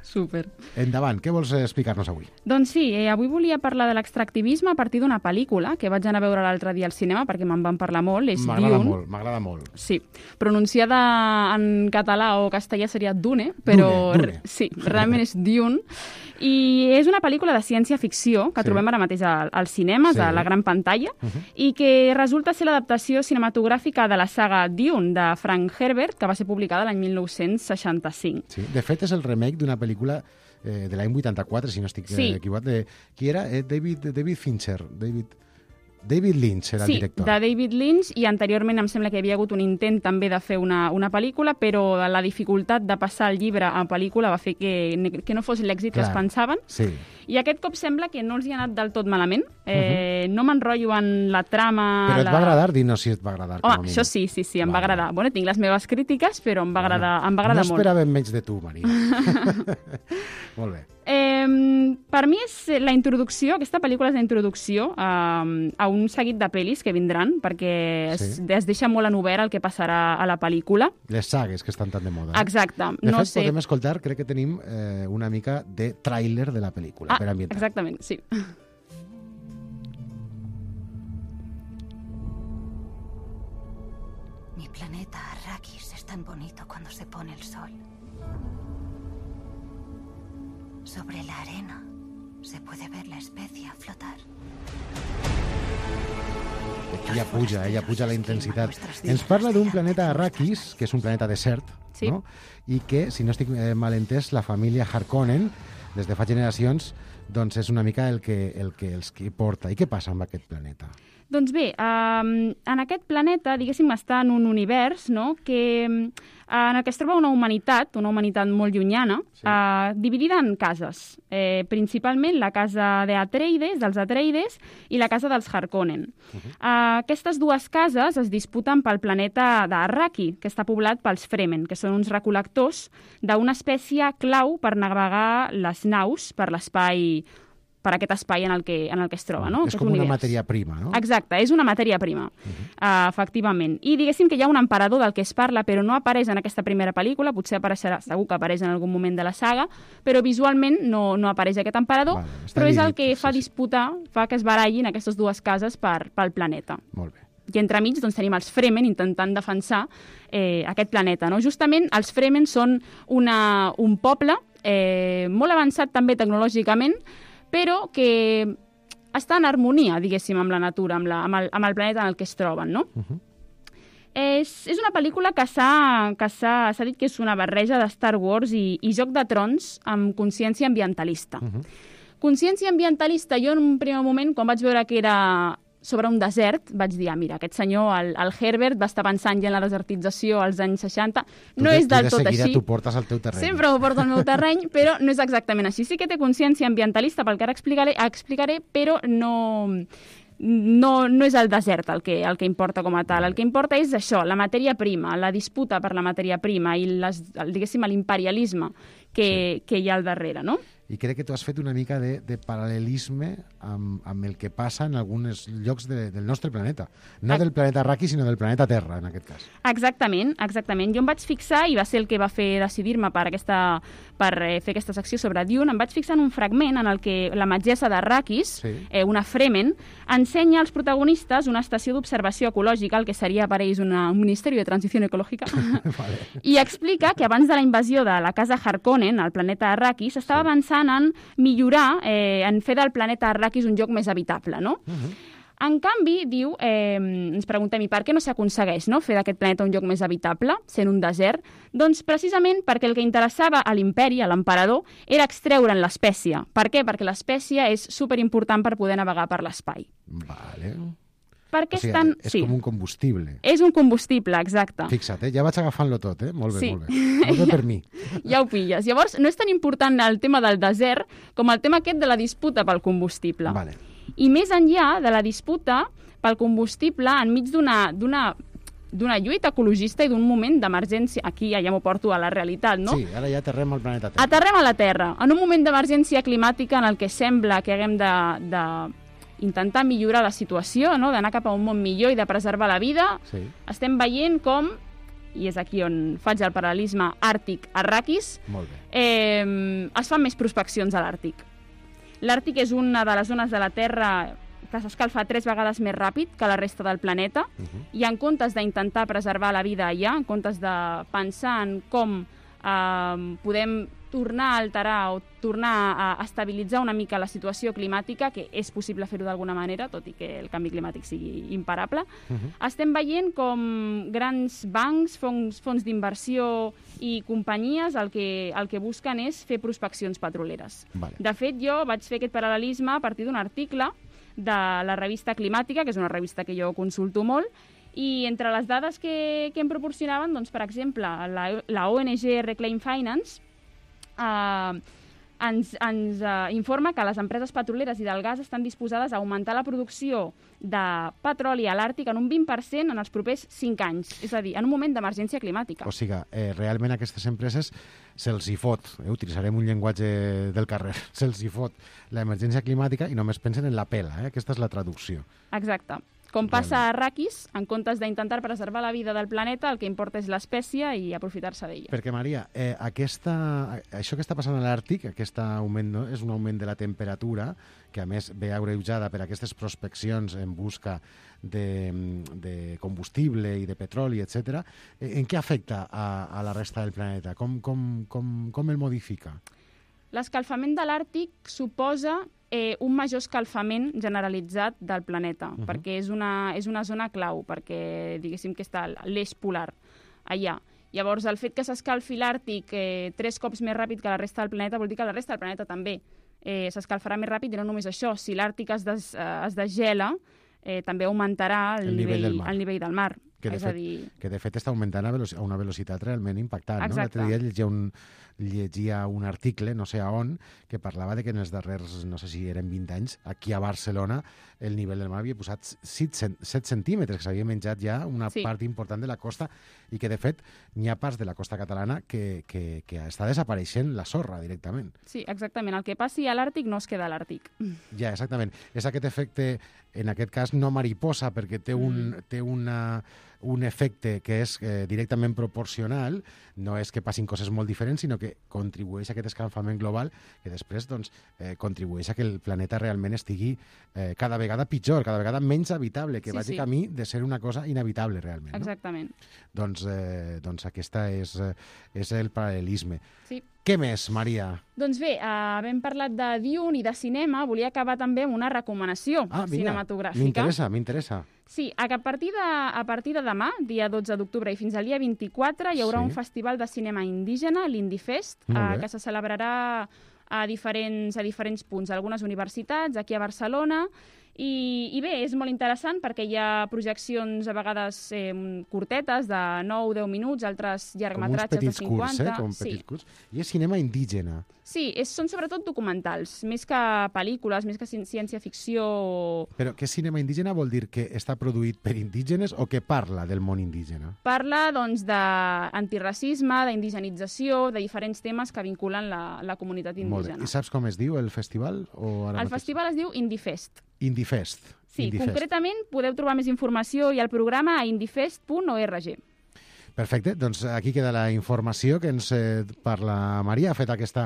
Súper. Endavant, què vols explicar-nos avui? Doncs sí, eh, avui volia parlar de l'extractivisme a partir d'una pel·lícula que vaig anar a veure l'altre dia al cinema perquè me'n van parlar molt, és M'agrada Dune. molt, m'agrada molt. Sí, pronunciada en català o castellà seria Dune, però Dune, Dune. sí, realment és Dune. I és una pel·lícula de ciència-ficció que Sí. trobem ara mateix al- als cinemes, Sí. a la gran pantalla, Uh-huh. i que resulta ser l'adaptació cinematogràfica de la saga Dune, de Frank Herbert, que va ser publicada l'any mil nou-cents seixanta-cinc. Sí. De fet, és el remake d'una pel·lícula eh, de l'any vuitanta-quatre, si no estic Sí. eh, equivocat, de... Qui era? Eh, David, David Fincher. David, David Lynch era Sí, el director. de David Lynch, i anteriorment em sembla que hi havia hagut un intent també de fer una, una pel·lícula, però la dificultat de passar el llibre a pel·lícula va fer que, que no fos l'èxit que Clar. es pensaven. Sí. I aquest cop sembla que no els hi ha anat del tot malament. Eh, uh-huh. No m'enrotllo en la trama... Però et la... va agradar? Dinos si et va agradar. com a Home, mínim. això sí, sí, sí, em Vale. va agradar. Bueno, tinc les meves crítiques, però em va agradar, em va agradar no molt. esperàvem menys de tu, Maria. Molt bé. Eh, per mi és la introducció, aquesta pel·lícula és la introducció a, a un seguit de pel·lis que vindran, perquè es, Sí. es deixa molt en obert el que passarà a la pel·lícula. Les sagues que estan tan de moda. eh? Exacte. De no fet, sé... podem escoltar, crec que tenim eh, una mica de tràiler de la pel·lícula, Ah, per ambientar. exactament, sí. Mi planeta Arrakis es tan bonito cuando se pone el sol. Sobre la arena se puede ver la especia flotar. Aquí ja puja, eh, ja puja la intensitat. Ens parla d'un planeta Arrakis, que és un planeta desert, Sí. no? I que, si no estic eh, mal entès, la família Harkonnen, des de fa generacions, doncs és una mica el que, el que els que porta. I què passa amb aquest planeta? Doncs bé, eh, en aquest planeta, diguéssim, està en un univers, no?, que, eh, en el que es troba una humanitat, una humanitat molt llunyana, Sí. eh, dividida en cases. Eh, principalment la casa d'Atreides, dels Atreides, i la casa dels Harkonnen. Uh-huh. eh, aquestes dues cases es disputen pel planeta d'Arraki, que està poblat pels Fremen, que són uns recol·lectors d'una espècie clau per navegar les naus per l'espai, per aquest espai en el que, en el que es troba, no? És Aquest com una univers. matèria prima, no? Exacte, és una matèria prima, uh-huh. uh, efectivament. I diguéssim que hi ha un emperador del que es parla, però no apareix en aquesta primera pel·lícula, potser apareixerà, segur que apareix en algun moment de la saga, però visualment no, no apareix aquest emperador, Vale, està però és el dividit, que sí, fa sí. disputar, fa que es barallin aquestes dues cases per, pel planeta. Molt bé. I entremig doncs, tenim els Fremen intentant defensar eh, aquest planeta. No? Justament els Fremen són una, un poble eh, molt avançat també tecnològicament, però que està en harmonia, diguéssim, amb la natura, amb, la, amb, el, amb el planeta en el que es troben, no? Uh-huh. És, és una pel·lícula que s'ha que s'ha s'ha dit que és una barreja de Star Wars i, i Joc de Trons amb consciència ambientalista. Uh-huh. Consciència ambientalista, jo en un primer moment, quan vaig veure que era sobre un desert, vaig dir, ah, mira, aquest senyor, el, el Herbert, va estar pensant ja en la desertització als anys seixanta. Tu No de, és del tu de tot seguida així. t'ho portes al teu terreny. Sempre ho porto al meu terreny, però no és exactament així. Sí que té consciència ambientalista, pel que ara explicaré, explicaré però no, no, no és el desert el que, el que importa com a tal. El que importa és això, la matèria prima, la disputa per la matèria prima i, les, el, diguéssim, l'imperialisme que, sí. que hi ha al darrere, no? I crec que tu has fet una mica de, de paral·lelisme amb, amb el que passa en alguns llocs de, del nostre planeta. No del planeta Arrakis, sinó del planeta Terra, en aquest cas. Exactament, exactament. Jo em vaig fixar, i va ser el que va fer decidir-me per, aquesta, per eh, fer aquesta secció sobre Dune, em vaig fixar en un fragment en el que la metgessa d'Arrakis, Sí. eh, una Fremen, ensenya als protagonistes una estació d'observació ecològica, el que seria per ells una, un Ministeri de Transició Ecològica, Vale. i explica que abans de la invasió de la casa Harkonnen, al planeta Arrakis, s'estava Sí. avançant en millorar, eh, en fer del planeta Arrakis un lloc més habitable, no? Uh-huh. En canvi, diu, eh, ens preguntem, i per què no s'aconsegueix, no?, fer d'aquest planeta un lloc més habitable, sent un desert? Doncs precisament perquè el que interessava a l'imperi, a l'emperador, era extreure'n l'espècie. Per què? Perquè l'espècie és superimportant per poder navegar per l'espai. Vale. Per què O sigui, estan... és sí. com un combustible. És un combustible, exacte. Fixa't, eh? Ja vaig agafant-lo tot, eh? Molt bé, Sí. molt bé. Molt bé per mi. Ja ho pilles. Llavors, no és tan important el tema del desert com el tema aquest de la disputa pel combustible. Vale. I més enllà de la disputa pel combustible, enmig d'una d'una d'una lluita ecologista i d'un moment d'emergència, aquí ja, ja m'ho porto a la realitat, no? Sí, ara ja aterrem al planeta Terra. Aterrem a la Terra, en un moment d'emergència climàtica en el que sembla que haguem de, de intentar millorar la situació, no? D'anar cap a un món millor i de preservar la vida. Sí. Estem veient com, i és aquí on faig el paral·lelisme Àrtic-Arrakis, Molt bé. eh, es fan més prospeccions a l'Àrtic. L'Àrtic és una de les zones de la Terra que s'escalfa tres vegades més ràpid que la resta del planeta, Uh -huh. i en comptes d'intentar preservar la vida allà, en comptes de pensar en com eh, podem tornar a alterar o tornar a estabilitzar una mica la situació climàtica, que és possible fer-ho d'alguna manera, tot i que el canvi climàtic sigui imparable. Uh-huh. Estem veient com grans bancs, fons, fons d'inversió i companyies el que, el que busquen és fer prospeccions petroleres. Vale. De fet, jo vaig fer aquest paral·lelisme a partir d'un article de la revista Climàtica, que és una revista que jo consulto molt, i entre les dades que, que em proporcionaven, doncs, per exemple, la, la O N G Reclaim Finance Uh, ens, ens uh, informa que les empreses petroleres i del gas estan disposades a augmentar la producció de petroli a l'Àrtic en un vint per cent en els propers cinc anys, és a dir, en un moment d'emergència climàtica. O sigui, eh, realment aquestes empreses se'ls hi fot, eh, utilitzarem un llenguatge del carrer, se'ls hi fot l'emergència climàtica i només pensen en la pela, eh? Aquesta és la traducció. Exacte. Com passa a Arrakis, en comptes d'intentar preservar la vida del planeta, el que importa és l'espècie i aprofitar-se d'ella. Perquè, Maria, eh, aquesta, això que està passant a l'Àrtic, aquest augment, no? És un augment de la temperatura, que a més ve agreujada per aquestes prospeccions en busca de, de combustible i de petroli, etcètera. En què afecta a, a la resta del planeta? Com, com, com, com el modifica? L'escalfament de l'Àrtic suposa eh, un major escalfament generalitzat del planeta, uh-huh. perquè és una, és una zona clau, perquè diguéssim que està l'eix polar allà. Llavors, el fet que s'escalfi l'Àrtic eh, tres cops més ràpid que la resta del planeta vol dir que la resta del planeta també eh, s'escalfarà més ràpid, i no només això. Si l'Àrtic es, des, eh, es desgela, eh, també augmentarà el, el, nivell, nivell el nivell del mar. Que de, és fet, a dir... que de fet està augmentant a, veloci a una velocitat realment impactant. No? L'altre dia llegia un, llegia un article, no sé a on, que parlava de que en els darrers, no sé si eren vint anys, aquí a Barcelona el nivell del mar havia posat set centímetres, que s'havia menjat ja una sí. part important de la costa, i que de fet n'hi ha parts de la costa catalana que, que, que està desapareixent la sorra directament. Sí, exactament. El que passi a l'Àrtic no es queda a l'Àrtic. Ja, exactament. És aquest efecte, en aquest cas no mariposa, perquè té un, mm. té una... un efecte que és eh, directament proporcional, no és que passin coses molt diferents, sinó que contribueix a aquest escalfament global, que després doncs, eh, contribueix a que el planeta realment estigui eh, cada vegada pitjor, cada vegada menys habitable, que sí, vagi sí. camí de ser una cosa inhabitable realment. Exactament. No? Doncs, eh, doncs aquesta és, eh, és el paral·lelisme. Sí. Què més, Maria? Doncs bé, eh, havent parlat de Dune i de cinema, volia acabar també amb una recomanació ah, vinga, cinematogràfica. M'interessa, m'interessa. Sí, a partir, de, a partir de demà, dia dotze d'octubre, i fins al dia vint-i-quatre, hi haurà sí. un festival de cinema indígena, l'Indifest, eh, que se celebrarà a diferents, a diferents punts, a algunes universitats, aquí a Barcelona. I, I bé, és molt interessant perquè hi ha projeccions a vegades eh, curtetes de nou a deu minuts, altres llargmetratges de cinquanta. Com uns petits curts, eh? Com petits curts. I és cinema indígena. Sí, és, són sobretot documentals, més que pel·lícules, més que ciència-ficció. Però què cinema indígena vol dir? Que està produït per indígenes o que parla del món indígena? Parla, doncs, d'antiracisme, d'indigenització, de diferents temes que vinculen la, la comunitat indígena. Molt bé. I saps com es diu el festival? O ara el mateix? festival es diu Indifest. Indifest. Sí, Indifest. Concretament podeu trobar més informació i el programa a indifest punt org. Perfecte, doncs aquí queda la informació que ens eh, parla Maria. Ha fet aquest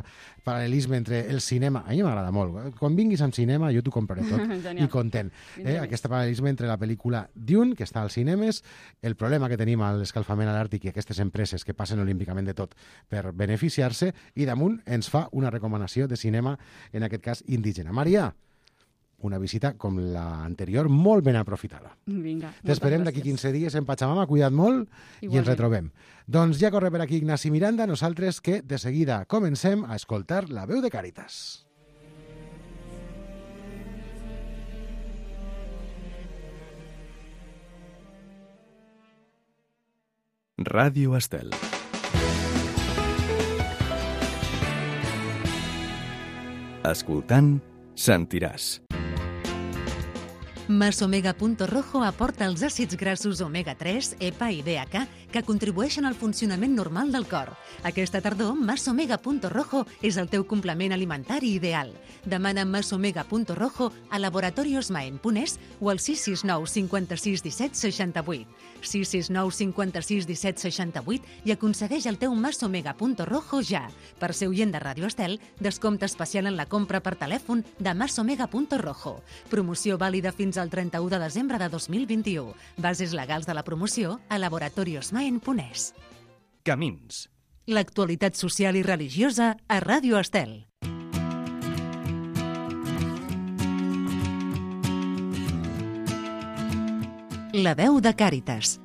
paral·lelisme entre el cinema. A mi m'agrada molt. Quan vinguis amb cinema jo t'ho compraré tot i content. Eh? Aquest paral·lelisme entre la pel·lícula Dune, que està als cinemes, el problema que tenim a l'escalfament a l'Àrtic i aquestes empreses que passen olímpicament de tot per beneficiar-se, i damunt ens fa una recomanació de cinema, en aquest cas indígena. Maria, una visita com l'anterior, molt ben aprofitada. Vinga. T'esperem d'aquí quinze dies en Pachamama, cuida't molt. Igualment. I ens retrobem. Doncs ja corre per aquí Ignasi Miranda, nosaltres que de seguida comencem a escoltar la veu de Càritas. Ràdio Estel. Escoltant, sentiràs. Masomega.rojo aporta els àcids grassos omega tres, EPA i D H A que contribueixen al funcionament normal del cor. Aquesta tardor, Masomega.rojo és el teu complement alimentari ideal. Demana Masomega.rojo a Laboratorios Maen punt es o al sis sis nou cinquanta-sis disset seixanta-vuit. sis sis nou cinquanta-sis disset seixanta-vuit i aconsegueix el teu Masomega.rojo ja. Per ser oient de Ràdio Estel, descompte especial en la compra per telèfon de Masomega.rojo. Promoció vàlida fins al trenta-u de desembre de dos mil vint-i-u. Bases legals de la promoció a Laboratorios Maen punt es. Camins. L'actualitat social i religiosa a Ràdio Estel. La veu de Càritas.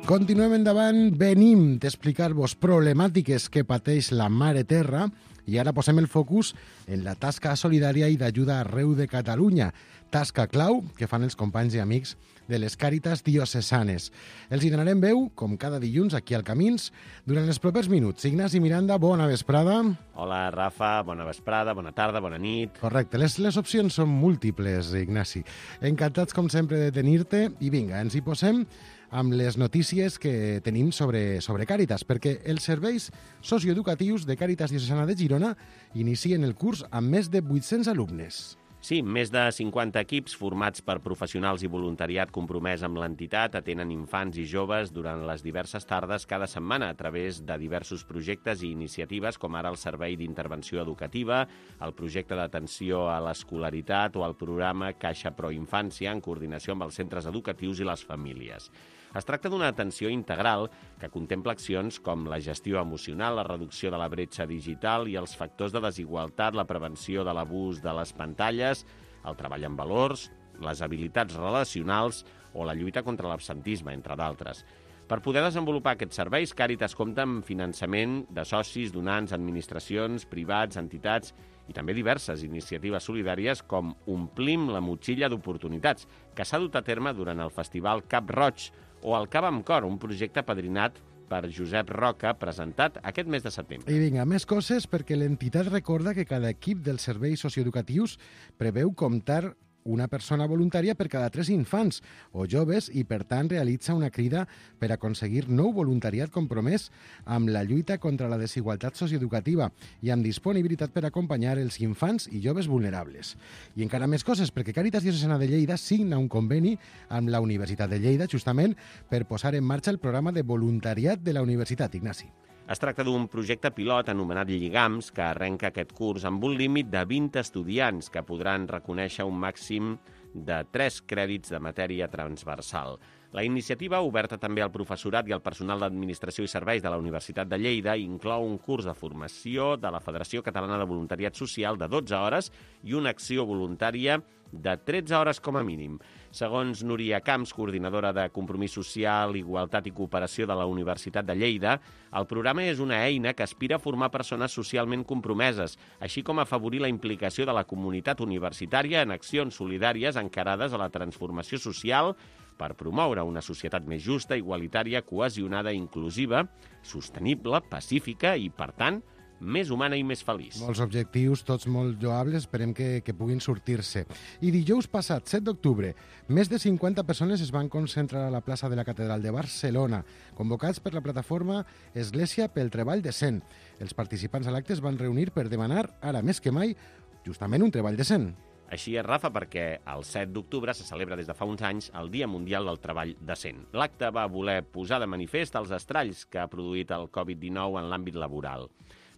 Continuem endavant, venim d'explicar-vos problemàtiques que pateix la Mare Terra i ara posem el focus en la tasca solidària i d'ajuda arreu de Catalunya, tasca clau que fan els companys i amics de les Càritas diocesanes. Els hi donarem veu, com cada dilluns, aquí al Camins, durant els propers minuts. Ignasi Miranda, bona vesprada. Hola, Rafa, bona vesprada, bona tarda, bona nit. Correcte, les, les opcions són múltiples, Ignasi. Encantats, com sempre, de tenir-te. I vinga, ens hi posem amb les notícies que tenim sobre, sobre Càritas, perquè els serveis socioeducatius de Càritas Diocesana de Girona inicien el curs amb més de vuit-cents alumnes. Sí, més de cinquanta equips formats per professionals i voluntariat compromès amb l'entitat atenen infants i joves durant les diverses tardes cada setmana a través de diversos projectes i iniciatives com ara el Servei d'Intervenció Educativa, el projecte d'atenció a l'escolaritat o el programa Caixa Pro Infància en coordinació amb els centres educatius i les famílies. Es tracta d'una atenció integral que contempla accions com la gestió emocional, la reducció de la bretxa digital i els factors de desigualtat, la prevenció de l'abús de les pantalles, el treball amb valors, les habilitats relacionals o la lluita contra l'absentisme, entre d'altres. Per poder desenvolupar aquests serveis, Càritas compta amb finançament de socis, donants, administracions, privats, entitats i també diverses iniciatives solidàries com Omplim la motxilla d'oportunitats, que s'ha dut a terme durant el festival Cap Roig, o el Cava amb Cor, un projecte padrinat per Josep Roca, presentat aquest mes de setembre. I vinga, més coses, perquè l'entitat recorda que cada equip dels serveis socioeducatius preveu comptar una persona voluntària per cada tres infants o joves i, per tant, realitza una crida per aconseguir nou voluntariat compromès amb la lluita contra la desigualtat socioeducativa i amb disponibilitat per acompanyar els infants i joves vulnerables. I encara més coses, perquè Càritas Diocesana de Lleida signa un conveni amb la Universitat de Lleida, justament per posar en marxa el programa de voluntariat de la Universitat, Ignasi. Es tracta d'un projecte pilot anomenat Lligams que arrenca aquest curs amb un límit de vint estudiants que podran reconèixer un màxim de tres crèdits de matèria transversal. La iniciativa, oberta també al professorat i al personal d'Administració i Serveis de la Universitat de Lleida, inclou un curs de formació de la Federació Catalana de Voluntariat Social de dotze hores i una acció voluntària de tretze hores com a mínim. Segons Núria Camps, coordinadora de Compromís Social, Igualtat i Cooperació de la Universitat de Lleida, el programa és una eina que aspira a formar persones socialment compromeses, així com a afavorir la implicació de la comunitat universitària en accions solidàries encarades a la transformació social per promoure una societat més justa, igualitària, cohesionada, inclusiva, sostenible, pacífica i, per tant, més humana i més feliç. Molts objectius, tots molt lloables, esperem que, que puguin sortir-se. I dijous passat, set d'octubre, més de cinquanta persones es van concentrar a la plaça de la Catedral de Barcelona, convocats per la plataforma Església pel Treball Decent. Els participants a l'acte es van reunir per demanar, ara més que mai, justament un treball decent. Així és, Rafa, perquè el set d'octubre se celebra des de fa uns anys el Dia Mundial del Treball Decent. L'acte va voler posar de manifest els estralls que ha produït el covid dinou en l'àmbit laboral.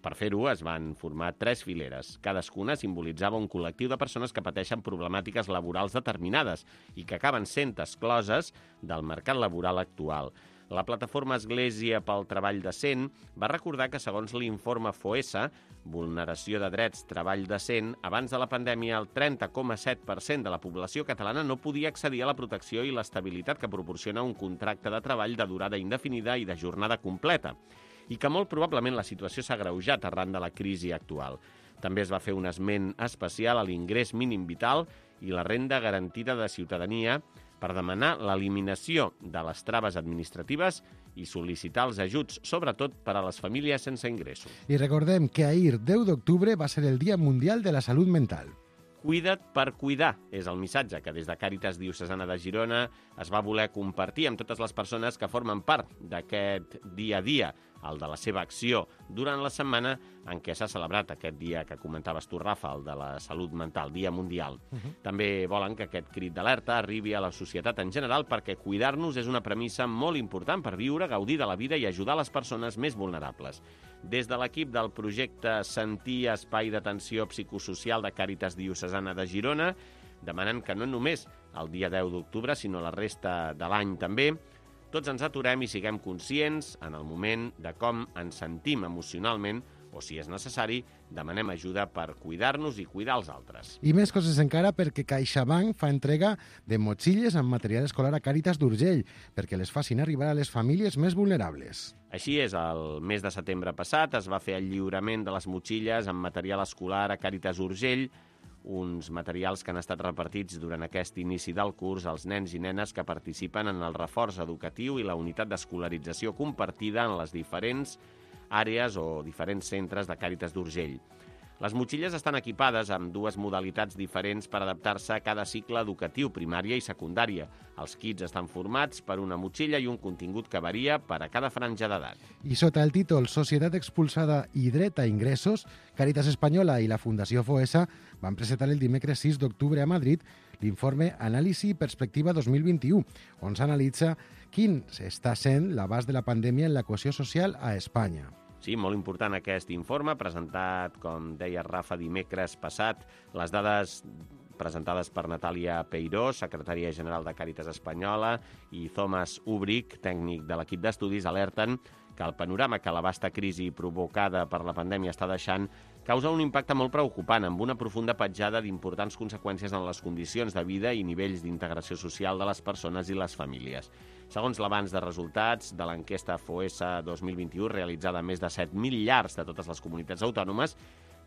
Per fer-ho es van formar tres fileres. Cadascuna simbolitzava un col·lectiu de persones que pateixen problemàtiques laborals determinades i que acaben sent excloses del mercat laboral actual. La plataforma Església pel Treball Decent va recordar que, segons l'informe FOESA, Vulneració de Drets, Treball Decent, abans de la pandèmia el trenta coma set per cent de la població catalana no podia accedir a la protecció i l'estabilitat que proporciona un contracte de treball de durada indefinida i de jornada completa, i que molt probablement la situació s'ha agreujat arran de la crisi actual. També es va fer un esment especial a l'ingrés mínim vital i la renda garantida de ciutadania per demanar l'eliminació de les traves administratives i sol·licitar els ajuts, sobretot per a les famílies sense ingressos. I recordem que ahir, deu d'octubre, va ser el Dia Mundial de la Salut Mental. Cuida't per cuidar és el missatge que des de Càritas Diocesana de Girona es va voler compartir amb totes les persones que formen part d'aquest dia a dia, el de la seva acció, durant la setmana en què s'ha celebrat aquest dia que comentaves tu, Rafa, el de la salut mental, Dia Mundial. Uh-huh. També volen que aquest crit d'alerta arribi a la societat en general perquè cuidar-nos és una premissa molt important per viure, gaudir de la vida i ajudar les persones més vulnerables. Des de l'equip del projecte Sentir, Espai d'Atenció Psicosocial de Càritas Diocesana de Girona, demanen que no només el dia deu d'octubre, sinó la resta de l'any també, tots ens aturem i siguem conscients en el moment de com ens sentim emocionalment o, si és necessari, demanem ajuda per cuidar-nos i cuidar els altres. I més coses encara perquè CaixaBank fa entrega de motxilles amb material escolar a Càritas d'Urgell perquè les facin arribar a les famílies més vulnerables. Així és, el mes de setembre passat es va fer el lliurament de les motxilles amb material escolar a Càritas Urgell, uns materials que han estat repartits durant aquest inici del curs als nens i nenes que participen en el reforç educatiu i la unitat d'escolarització compartida en les diferents àrees o diferents centres de Càritas d'Urgell. Les motxilles estan equipades amb dues modalitats diferents per adaptar-se a cada cicle educatiu, primària i secundària. Els kits estan formats per una motxilla i un contingut que varia per a cada franja d'edat. I sota el títol Societat expulsada i dret a ingressos, Càritas Espanyola i la Fundació Foessa van presentar el dimecres sis d'octubre a Madrid l'informe Anàlisi i Perspectiva dos mil vint-i-u, on s'analitza quin està sent l'abast de la pandèmia en la cohesió social a Espanya. Sí, molt important aquest informe, presentat, com deia Rafa, dimecres passat. Les dades presentades per Natàlia Peiró, secretària general de Càritas Espanyola, i Thomas Ubric, tècnic de l'equip d'estudis, alerten que el panorama que la vasta crisi provocada per la pandèmia està deixant causa un impacte molt preocupant, amb una profunda petjada d'importants conseqüències en les condicions de vida i nivells d'integració social de les persones i les famílies. Segons l'avanç de resultats de l'enquesta Foessa dos mil vint-i-u, realitzada a més de set mil llars de totes les comunitats autònomes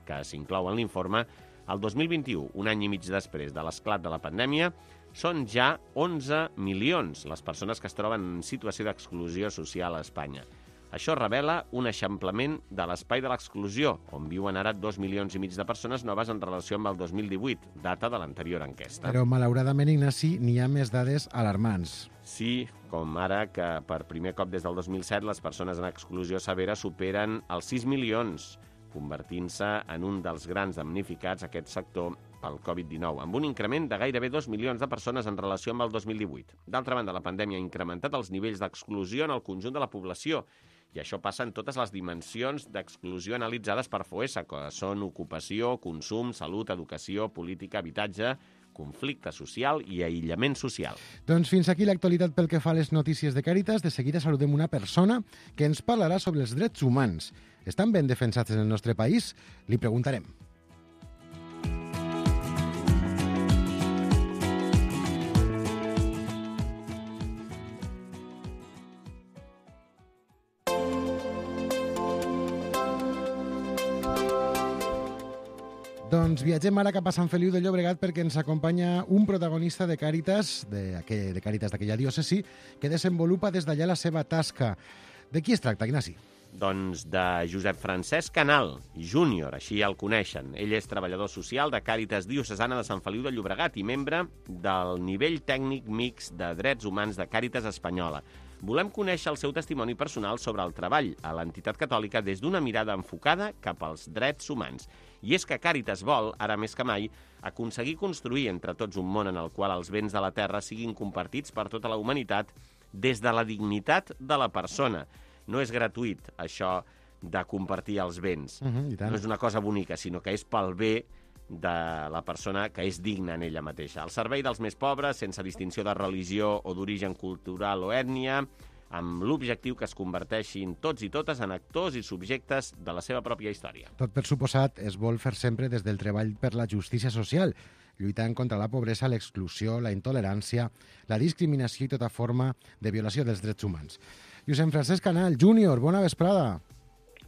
que s'inclouen en l'informe, el dos mil vint-i-u, un any i mig després de l'esclat de la pandèmia, són ja onze milions les persones que es troben en situació d'exclusió social a Espanya. Això revela un eixamplament de l'espai de l'exclusió, on viuen ara dos milions i mig de persones noves en relació amb el dos mil divuit, data de l'anterior enquesta. Però, malauradament, Ignasi, n'hi ha més dades alarmants. Sí, com ara que per primer cop des del dos mil set les persones en exclusió severa superen els sis milions, convertint-se en un dels grans damnificats aquest sector pel covid dinou, amb un increment de gairebé dos milions de persones en relació amb el dos mil divuit. D'altra banda, la pandèmia ha incrementat els nivells d'exclusió en el conjunt de la població, i això passa en totes les dimensions d'exclusió analitzades per Foessa, que són ocupació, consum, salut, educació, política, habitatge, conflicte social i aïllament social. Doncs fins aquí l'actualitat pel que fa a les notícies de Càritas. De seguida saludem una persona que ens parlarà sobre els drets humans. Estan ben defensats en el nostre país? Li preguntarem. Doncs viatgem ara cap a Sant Feliu de Llobregat perquè ens acompanya un protagonista de Càritas, de, de Càritas d'aquella diòcesi, que desenvolupa des d'allà la seva tasca. De qui es tracta, Ignasi? Doncs de Josep Francesc Canal, júnior, així el coneixen. Ell és treballador social de Càritas Diocesana de Sant Feliu de Llobregat i membre del nivell tècnic mixt de drets humans de Càritas Espanyola. Volem conèixer el seu testimoni personal sobre el treball a l'entitat catòlica des d'una mirada enfocada cap als drets humans. I és que Càritas vol, ara més que mai, aconseguir construir entre tots un món en el qual els béns de la terra siguin compartits per tota la humanitat des de la dignitat de la persona. No és gratuït, això de compartir els béns. Uh-huh, i tant. No és una cosa bonica, sinó que és pel bé de la persona que és digna en ella mateixa. Al servei dels més pobres, sense distinció de religió o d'origen cultural o ètnia, amb l'objectiu que es converteixin tots i totes en actors i subjectes de la seva pròpia història. Tot per suposat es vol fer sempre des del treball per la justícia social, lluitant contra la pobresa, l'exclusió, la intolerància, la discriminació i tota forma de violació dels drets humans. Josep Francesc Canal, júnior, bona vesprada.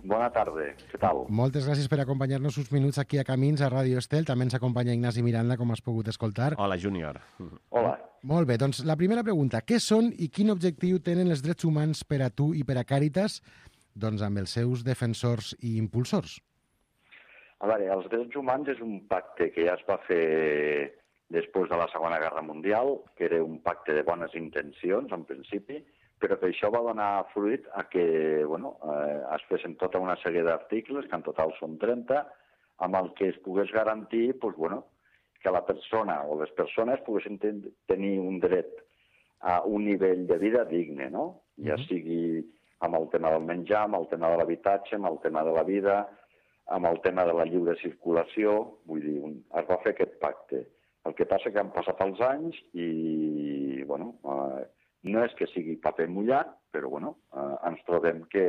Bona tarda, què tal? Moltes gràcies per acompanyar-nos uns minuts aquí a Camins, a Ràdio Estel. També ens acompanya Ignasi Miranda, com has pogut escoltar. Hola, júnior. Hola. Molt bé, doncs la primera pregunta. Què són i quin objectiu tenen els drets humans per a tu i per a Càritas, doncs amb els seus defensors i impulsors? A veure, els drets humans és un pacte que ja es va fer després de la Segona Guerra Mundial, que era un pacte de bones intencions, en principi, però que això va donar fruit a que bueno, eh, es fessin tota una sèrie d'articles, que en total són trenta, amb el que es pogués garantir pues, bueno, que la persona o les persones poguessin ten tenir un dret a un nivell de vida digne, no? Ja sigui amb el tema del menjar, amb el tema de l'habitatge, amb el tema de la vida, amb el tema de la lliure circulació, vull dir, un, es va fer aquest pacte. El que passa que han passat els anys i, bueno, eh, No és que sigui paper mullat, però bueno, eh, ens trobem que,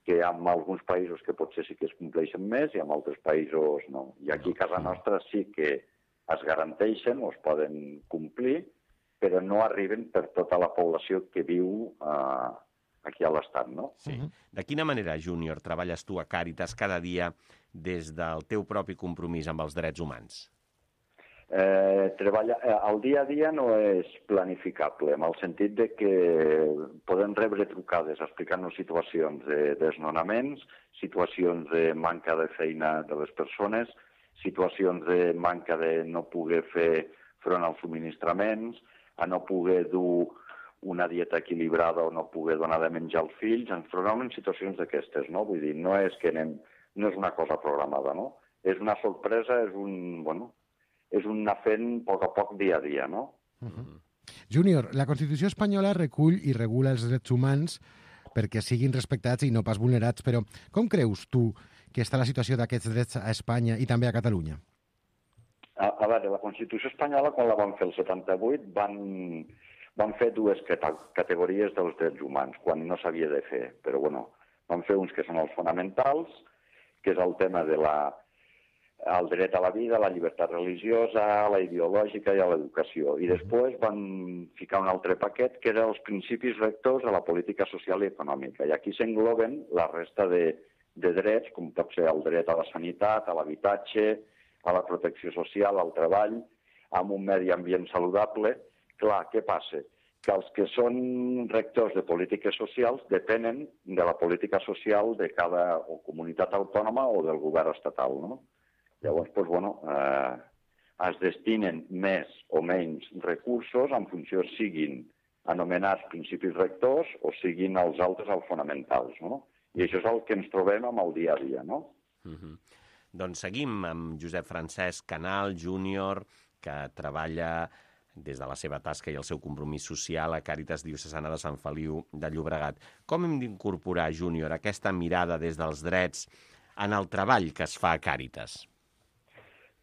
que hi ha alguns països que potser sí que es compleixen més i en altres països no. I aquí a casa nostra sí que es garanteixen o es poden complir, però no arriben per tota la població que viu eh, aquí a l'Estat, no? Sí. De quina manera, Júnior, treballes tu a Càritas cada dia des del teu propi compromís amb els drets humans? Eh, treballa, eh, el dia a dia no és planificable, en el sentit de que podem rebre trucades explicant-nos situacions de desnonaments, situacions de manca de feina de les persones, situacions de manca de no poder fer front als subministraments, a no poder dur una dieta equilibrada o no poder donar de menjar als fills, ens trobem en situacions d'aquestes, no? Vull dir, no és que anem, no és una cosa programada, no? És una sorpresa, és un, bueno, és un anar fent a poc a poc, dia a dia, no? Uh-huh. Júnior, la Constitució espanyola recull i regula els drets humans perquè siguin respectats i no pas vulnerats, però com creus tu que està la situació d'aquests drets a Espanya i també a Catalunya? A, a veure, la Constitució espanyola, quan la van fer el setanta-vuit, van, van fer dues categories dels drets humans, quan no s'havia de fer. Però, bueno, van fer uns que són els fonamentals, que és el tema de la, el dret a la vida, la llibertat religiosa, la ideològica i a l'educació. I després van ficar un altre paquet, que eren els principis rectors de la política social i econòmica. I aquí s'engloben la resta de, de drets, com pot ser el dret a la sanitat, a l'habitatge, a la protecció social, al treball, amb un medi ambient saludable. Clar, què passa? Que els que són rectors de polítiques socials depenen de la política social de cada o comunitat autònoma o del govern estatal, no? Llavors, doncs, bueno, eh, es destinen més o menys recursos en funció siguin anomenats principis rectors o siguin els altres els fonamentals, no? I això és el que ens trobem amb el dia a dia, no? Uh-huh. Doncs seguim amb Josep Francesc Canal, júnior, que treballa des de la seva tasca i el seu compromís social a Càritas Diocesana de Sant Feliu de Llobregat. Com hem d'incorporar, júnior, aquesta mirada des dels drets en el treball que es fa a Càritas?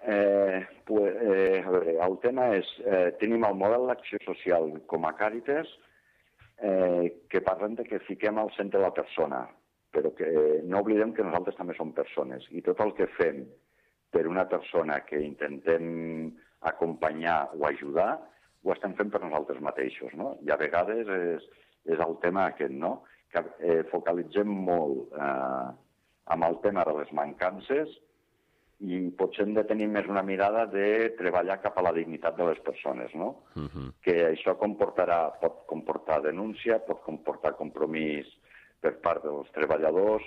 Eh, pues, eh, a veure, el tema és, eh, tenim el model d'acció social com a Càritas, eh, que parlem de que fiquem al centre la persona, però que no oblidem que nosaltres també som persones i tot el que fem per una persona que intentem acompanyar o ajudar, ho estem fent per nosaltres mateixos, no? I a vegades és, és el tema aquest, no? Que eh, focalitzem molt eh, amb el tema de les mancances i potser hem de tenir més una mirada de treballar cap a la dignitat de les persones, no? Uh-huh. Que això comportarà, pot comportar denúncia, pot comportar compromís per part dels treballadors,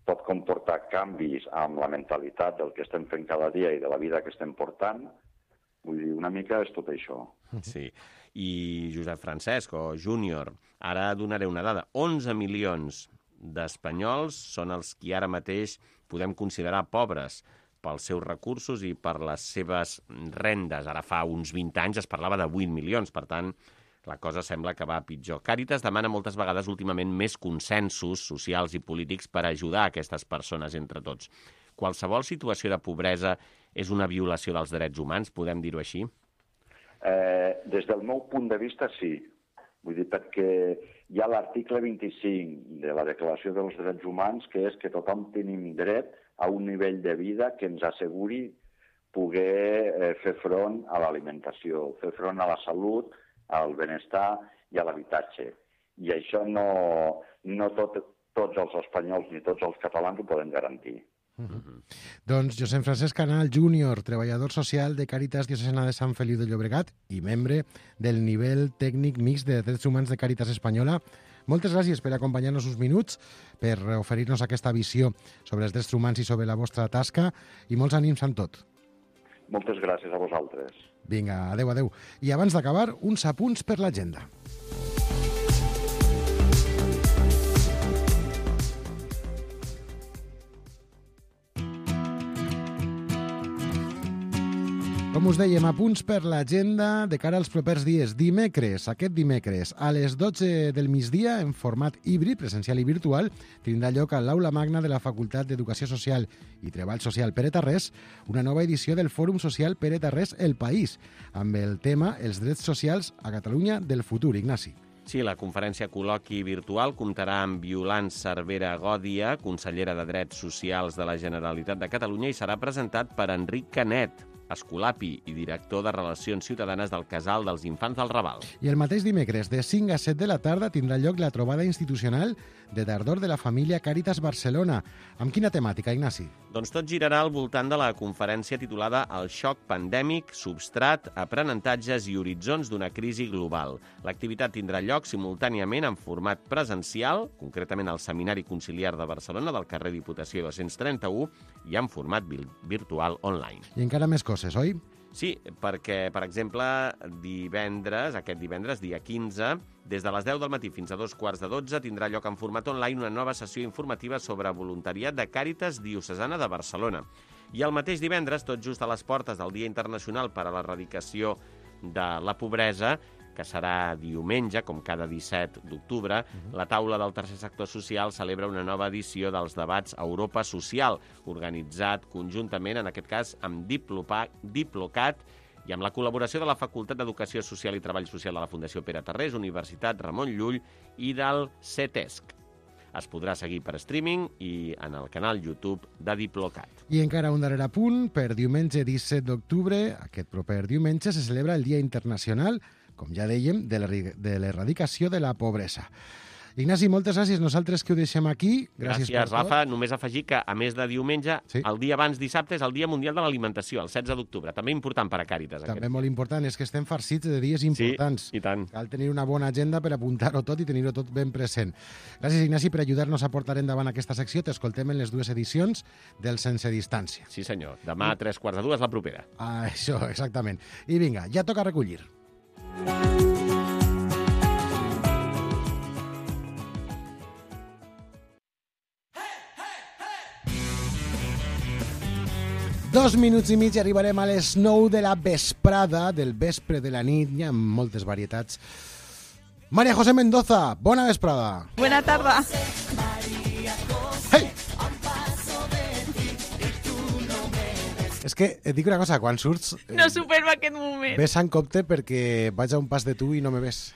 pot comportar canvis amb la mentalitat del que estem fent cada dia i de la vida que estem portant. Vull dir, una mica és tot això. Sí. I Josep Francesc, o júnior, ara donaré una dada. onze milions d'espanyols són els qui ara mateix podem considerar pobres pels seus recursos i per les seves rendes. Ara fa uns vint anys es parlava de vuit milions, per tant, la cosa sembla que va pitjor. Càritas demana moltes vegades últimament més consensos socials i polítics per ajudar aquestes persones entre tots. Qualsevol situació de pobresa és una violació dels drets humans, podem dir-ho així? Eh, des del meu punt de vista, sí. Vull dir, perquè hi ha l'article vint-i-cinc de la Declaració dels Drets Humans, que és que tothom tenim dret a un nivell de vida que ens asseguri poder eh, fer front a l'alimentació, fer front a la salut, al benestar i a l'habitatge. I això no, no tot, tots els espanyols ni tots els catalans ho poden garantir. Uh-huh. Doncs Josep Francesc Canal, júnior, treballador social de Càritas Diocesana de Sant Feliu de Llobregat i membre del nivell tècnic mix de drets humans de Càritas Espanyola. Moltes gràcies per acompanyar-nos uns minuts, per oferir-nos aquesta visió sobre els drets humans i sobre la vostra tasca, i molts ànims amb tot. Moltes gràcies a vosaltres. Vinga, adeu, adeu. I abans d'acabar, uns apunts per l'agenda. Com us dèiem, apunts per l'agenda de cara als propers dies. Dimecres, aquest dimecres, a les dotze del migdia, en format híbrid, presencial i virtual, tindrà lloc a l'Aula Magna de la Facultat d'Educació Social i Treball Social Pere Tarrés una nova edició del Fòrum Social Pere Tarrés El País, amb el tema Els drets socials a Catalunya del futur. Ignasi. Sí, la conferència col·loqui virtual comptarà amb Violant Cervera Gòdia, consellera de Drets Socials de la Generalitat de Catalunya, i serà presentat per Enric Canet, escolapi i director de Relacions Ciutadanes del Casal dels Infants del Raval. I el mateix dimecres, de cinc a set de la tarda, tindrà lloc la trobada institucional de tardor de la família Càritas Barcelona. Amb quina temàtica, Ignasi? Doncs tot girarà al voltant de la conferència titulada El xoc pandèmic, substrat, aprenentatges i horitzons d'una crisi global. L'activitat tindrà lloc simultàniament en format presencial, concretament al Seminari Conciliar de Barcelona del carrer Diputació dos-cents trenta-u, i en format virtual online. I encara més coses, oi? Sí, perquè, per exemple, divendres, aquest divendres, dia quinze, des de les deu del matí fins a dos quarts de dotze, tindrà lloc en format online una nova sessió informativa sobre voluntariat de Càritas Diocesana de Barcelona. I el mateix divendres, tot just a les portes del Dia Internacional per a l'Erradicació de la Pobresa, que serà diumenge, com cada disset d'octubre, uh-huh. la taula del tercer sector social celebra una nova edició dels debats Europa Social, organitzat conjuntament, en aquest cas, amb Diplocat i amb la col·laboració de la Facultat d'Educació Social i Treball Social de la Fundació Pere Tarrés, Universitat Ramon Llull i del CETESC. Es podrà seguir per streaming i en el canal YouTube de Diplocat. I encara un darrer apunt, per diumenge disset d'octubre, aquest proper diumenge, se celebra el Dia Internacional, com ja dèiem, de l'erradicació de la pobresa. Ignasi, moltes gràcies. Nosaltres que ho deixem aquí. Gràcies, gràcies Rafa. Només afegir que, a més de diumenge, sí. el dia abans dissabte és el Dia Mundial de l'Alimentació, el setze d'octubre. També important per a Càritas. També aquest. molt important. És que estem farcits de dies importants. Sí, i tant. Cal tenir una bona agenda per apuntar-ho tot i tenir-ho tot ben present. Gràcies, Ignasi, per ajudar-nos a portar endavant aquesta secció. T'escoltem en les dues edicions del Sense Distància. Sí, senyor. Demà a tres quarts de dues, la propera. Ah, això, exactament. I vinga, ja toca recollir. Dos minuts i mig i arribarem a les nou de la vesprada, del vespre de la nit, hi ha moltes varietats. María José Mendoza, bona vesprada. Buena tarda. Hey! És que et dic una cosa, quan surts... Eh, no supero aquest moment. Ves en compte perquè vaig a un pas de tu i no me ves.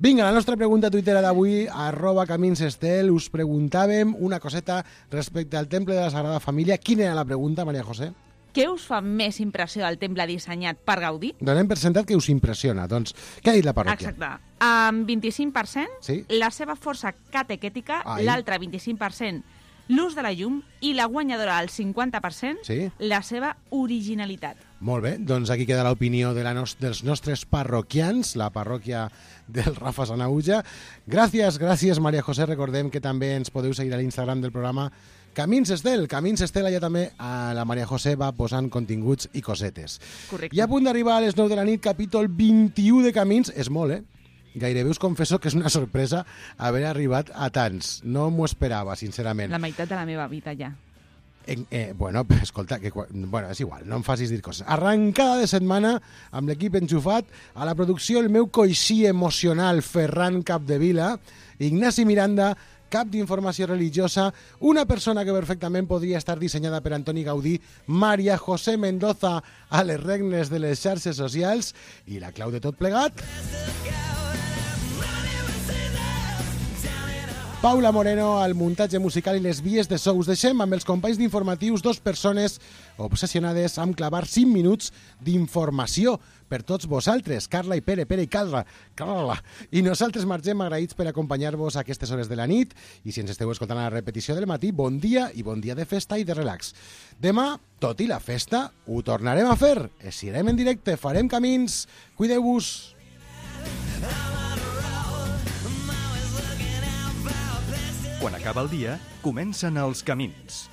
Vinga, la nostra pregunta tuitera d'avui, arroba caminsestel, us preguntàvem una coseta respecte al Temple de la Sagrada Família. Quina era la pregunta, María José? Què us fa més impressió del temple dissenyat per Gaudí? Donem per sentat que us impressiona. Doncs, què ha dit la parròquia? Exacte. Amb vint-i-cinc per cent, sí? La seva força catequètica, l'altre vint-i-cinc per cent, l'ús de la llum, i la guanyadora al cinquanta per cent, sí? La seva originalitat. Molt bé, doncs aquí queda l'opinió de la nos dels nostres parroquians, la parròquia del Rafa Sanauja. Gràcies, gràcies, María José. Recordem que també ens podeu seguir a l'Instagram del programa Camins Estel. Camins Estel, allà també a la María José va posant continguts i cosetes. Correcte. I a punt d'arribar a les nou de la nit, capítol vint-i-u de Camins. És molt, eh? Gairebé us confesso que és una sorpresa haver arribat a tants. No m'ho esperava, sincerament. La meitat de la meva vida, ja. En, eh, bueno, escolta, que, bueno, és igual, no em facis dir coses. Arrancada de setmana amb l'equip enxufat, a la producció el meu coixí emocional Ferran Capdevila, Ignasi Miranda, cap d'informació religiosa, una persona que perfectament podria estar dissenyada per Antoni Gaudí, María José Mendoza a les regnes de les xarxes socials, i la clau de tot plegat... Paula Moreno al muntatge musical i les vies de so. Us deixem amb els companys d'informatius, dos persones obsessionades amb clavar cinc minuts d'informació per tots vosaltres, Carla i Pere, Pere i Carla, Carla. I nosaltres marxem agraïts per acompanyar-vos a aquestes hores de la nit, i si ens esteu escoltant a la repetició del matí, bon dia i bon dia de festa i de relax. Demà, tot i la festa, ho tornarem a fer. Eixirem en directe, farem camins, cuideu-vos. Quan acaba el dia, comencen els camins.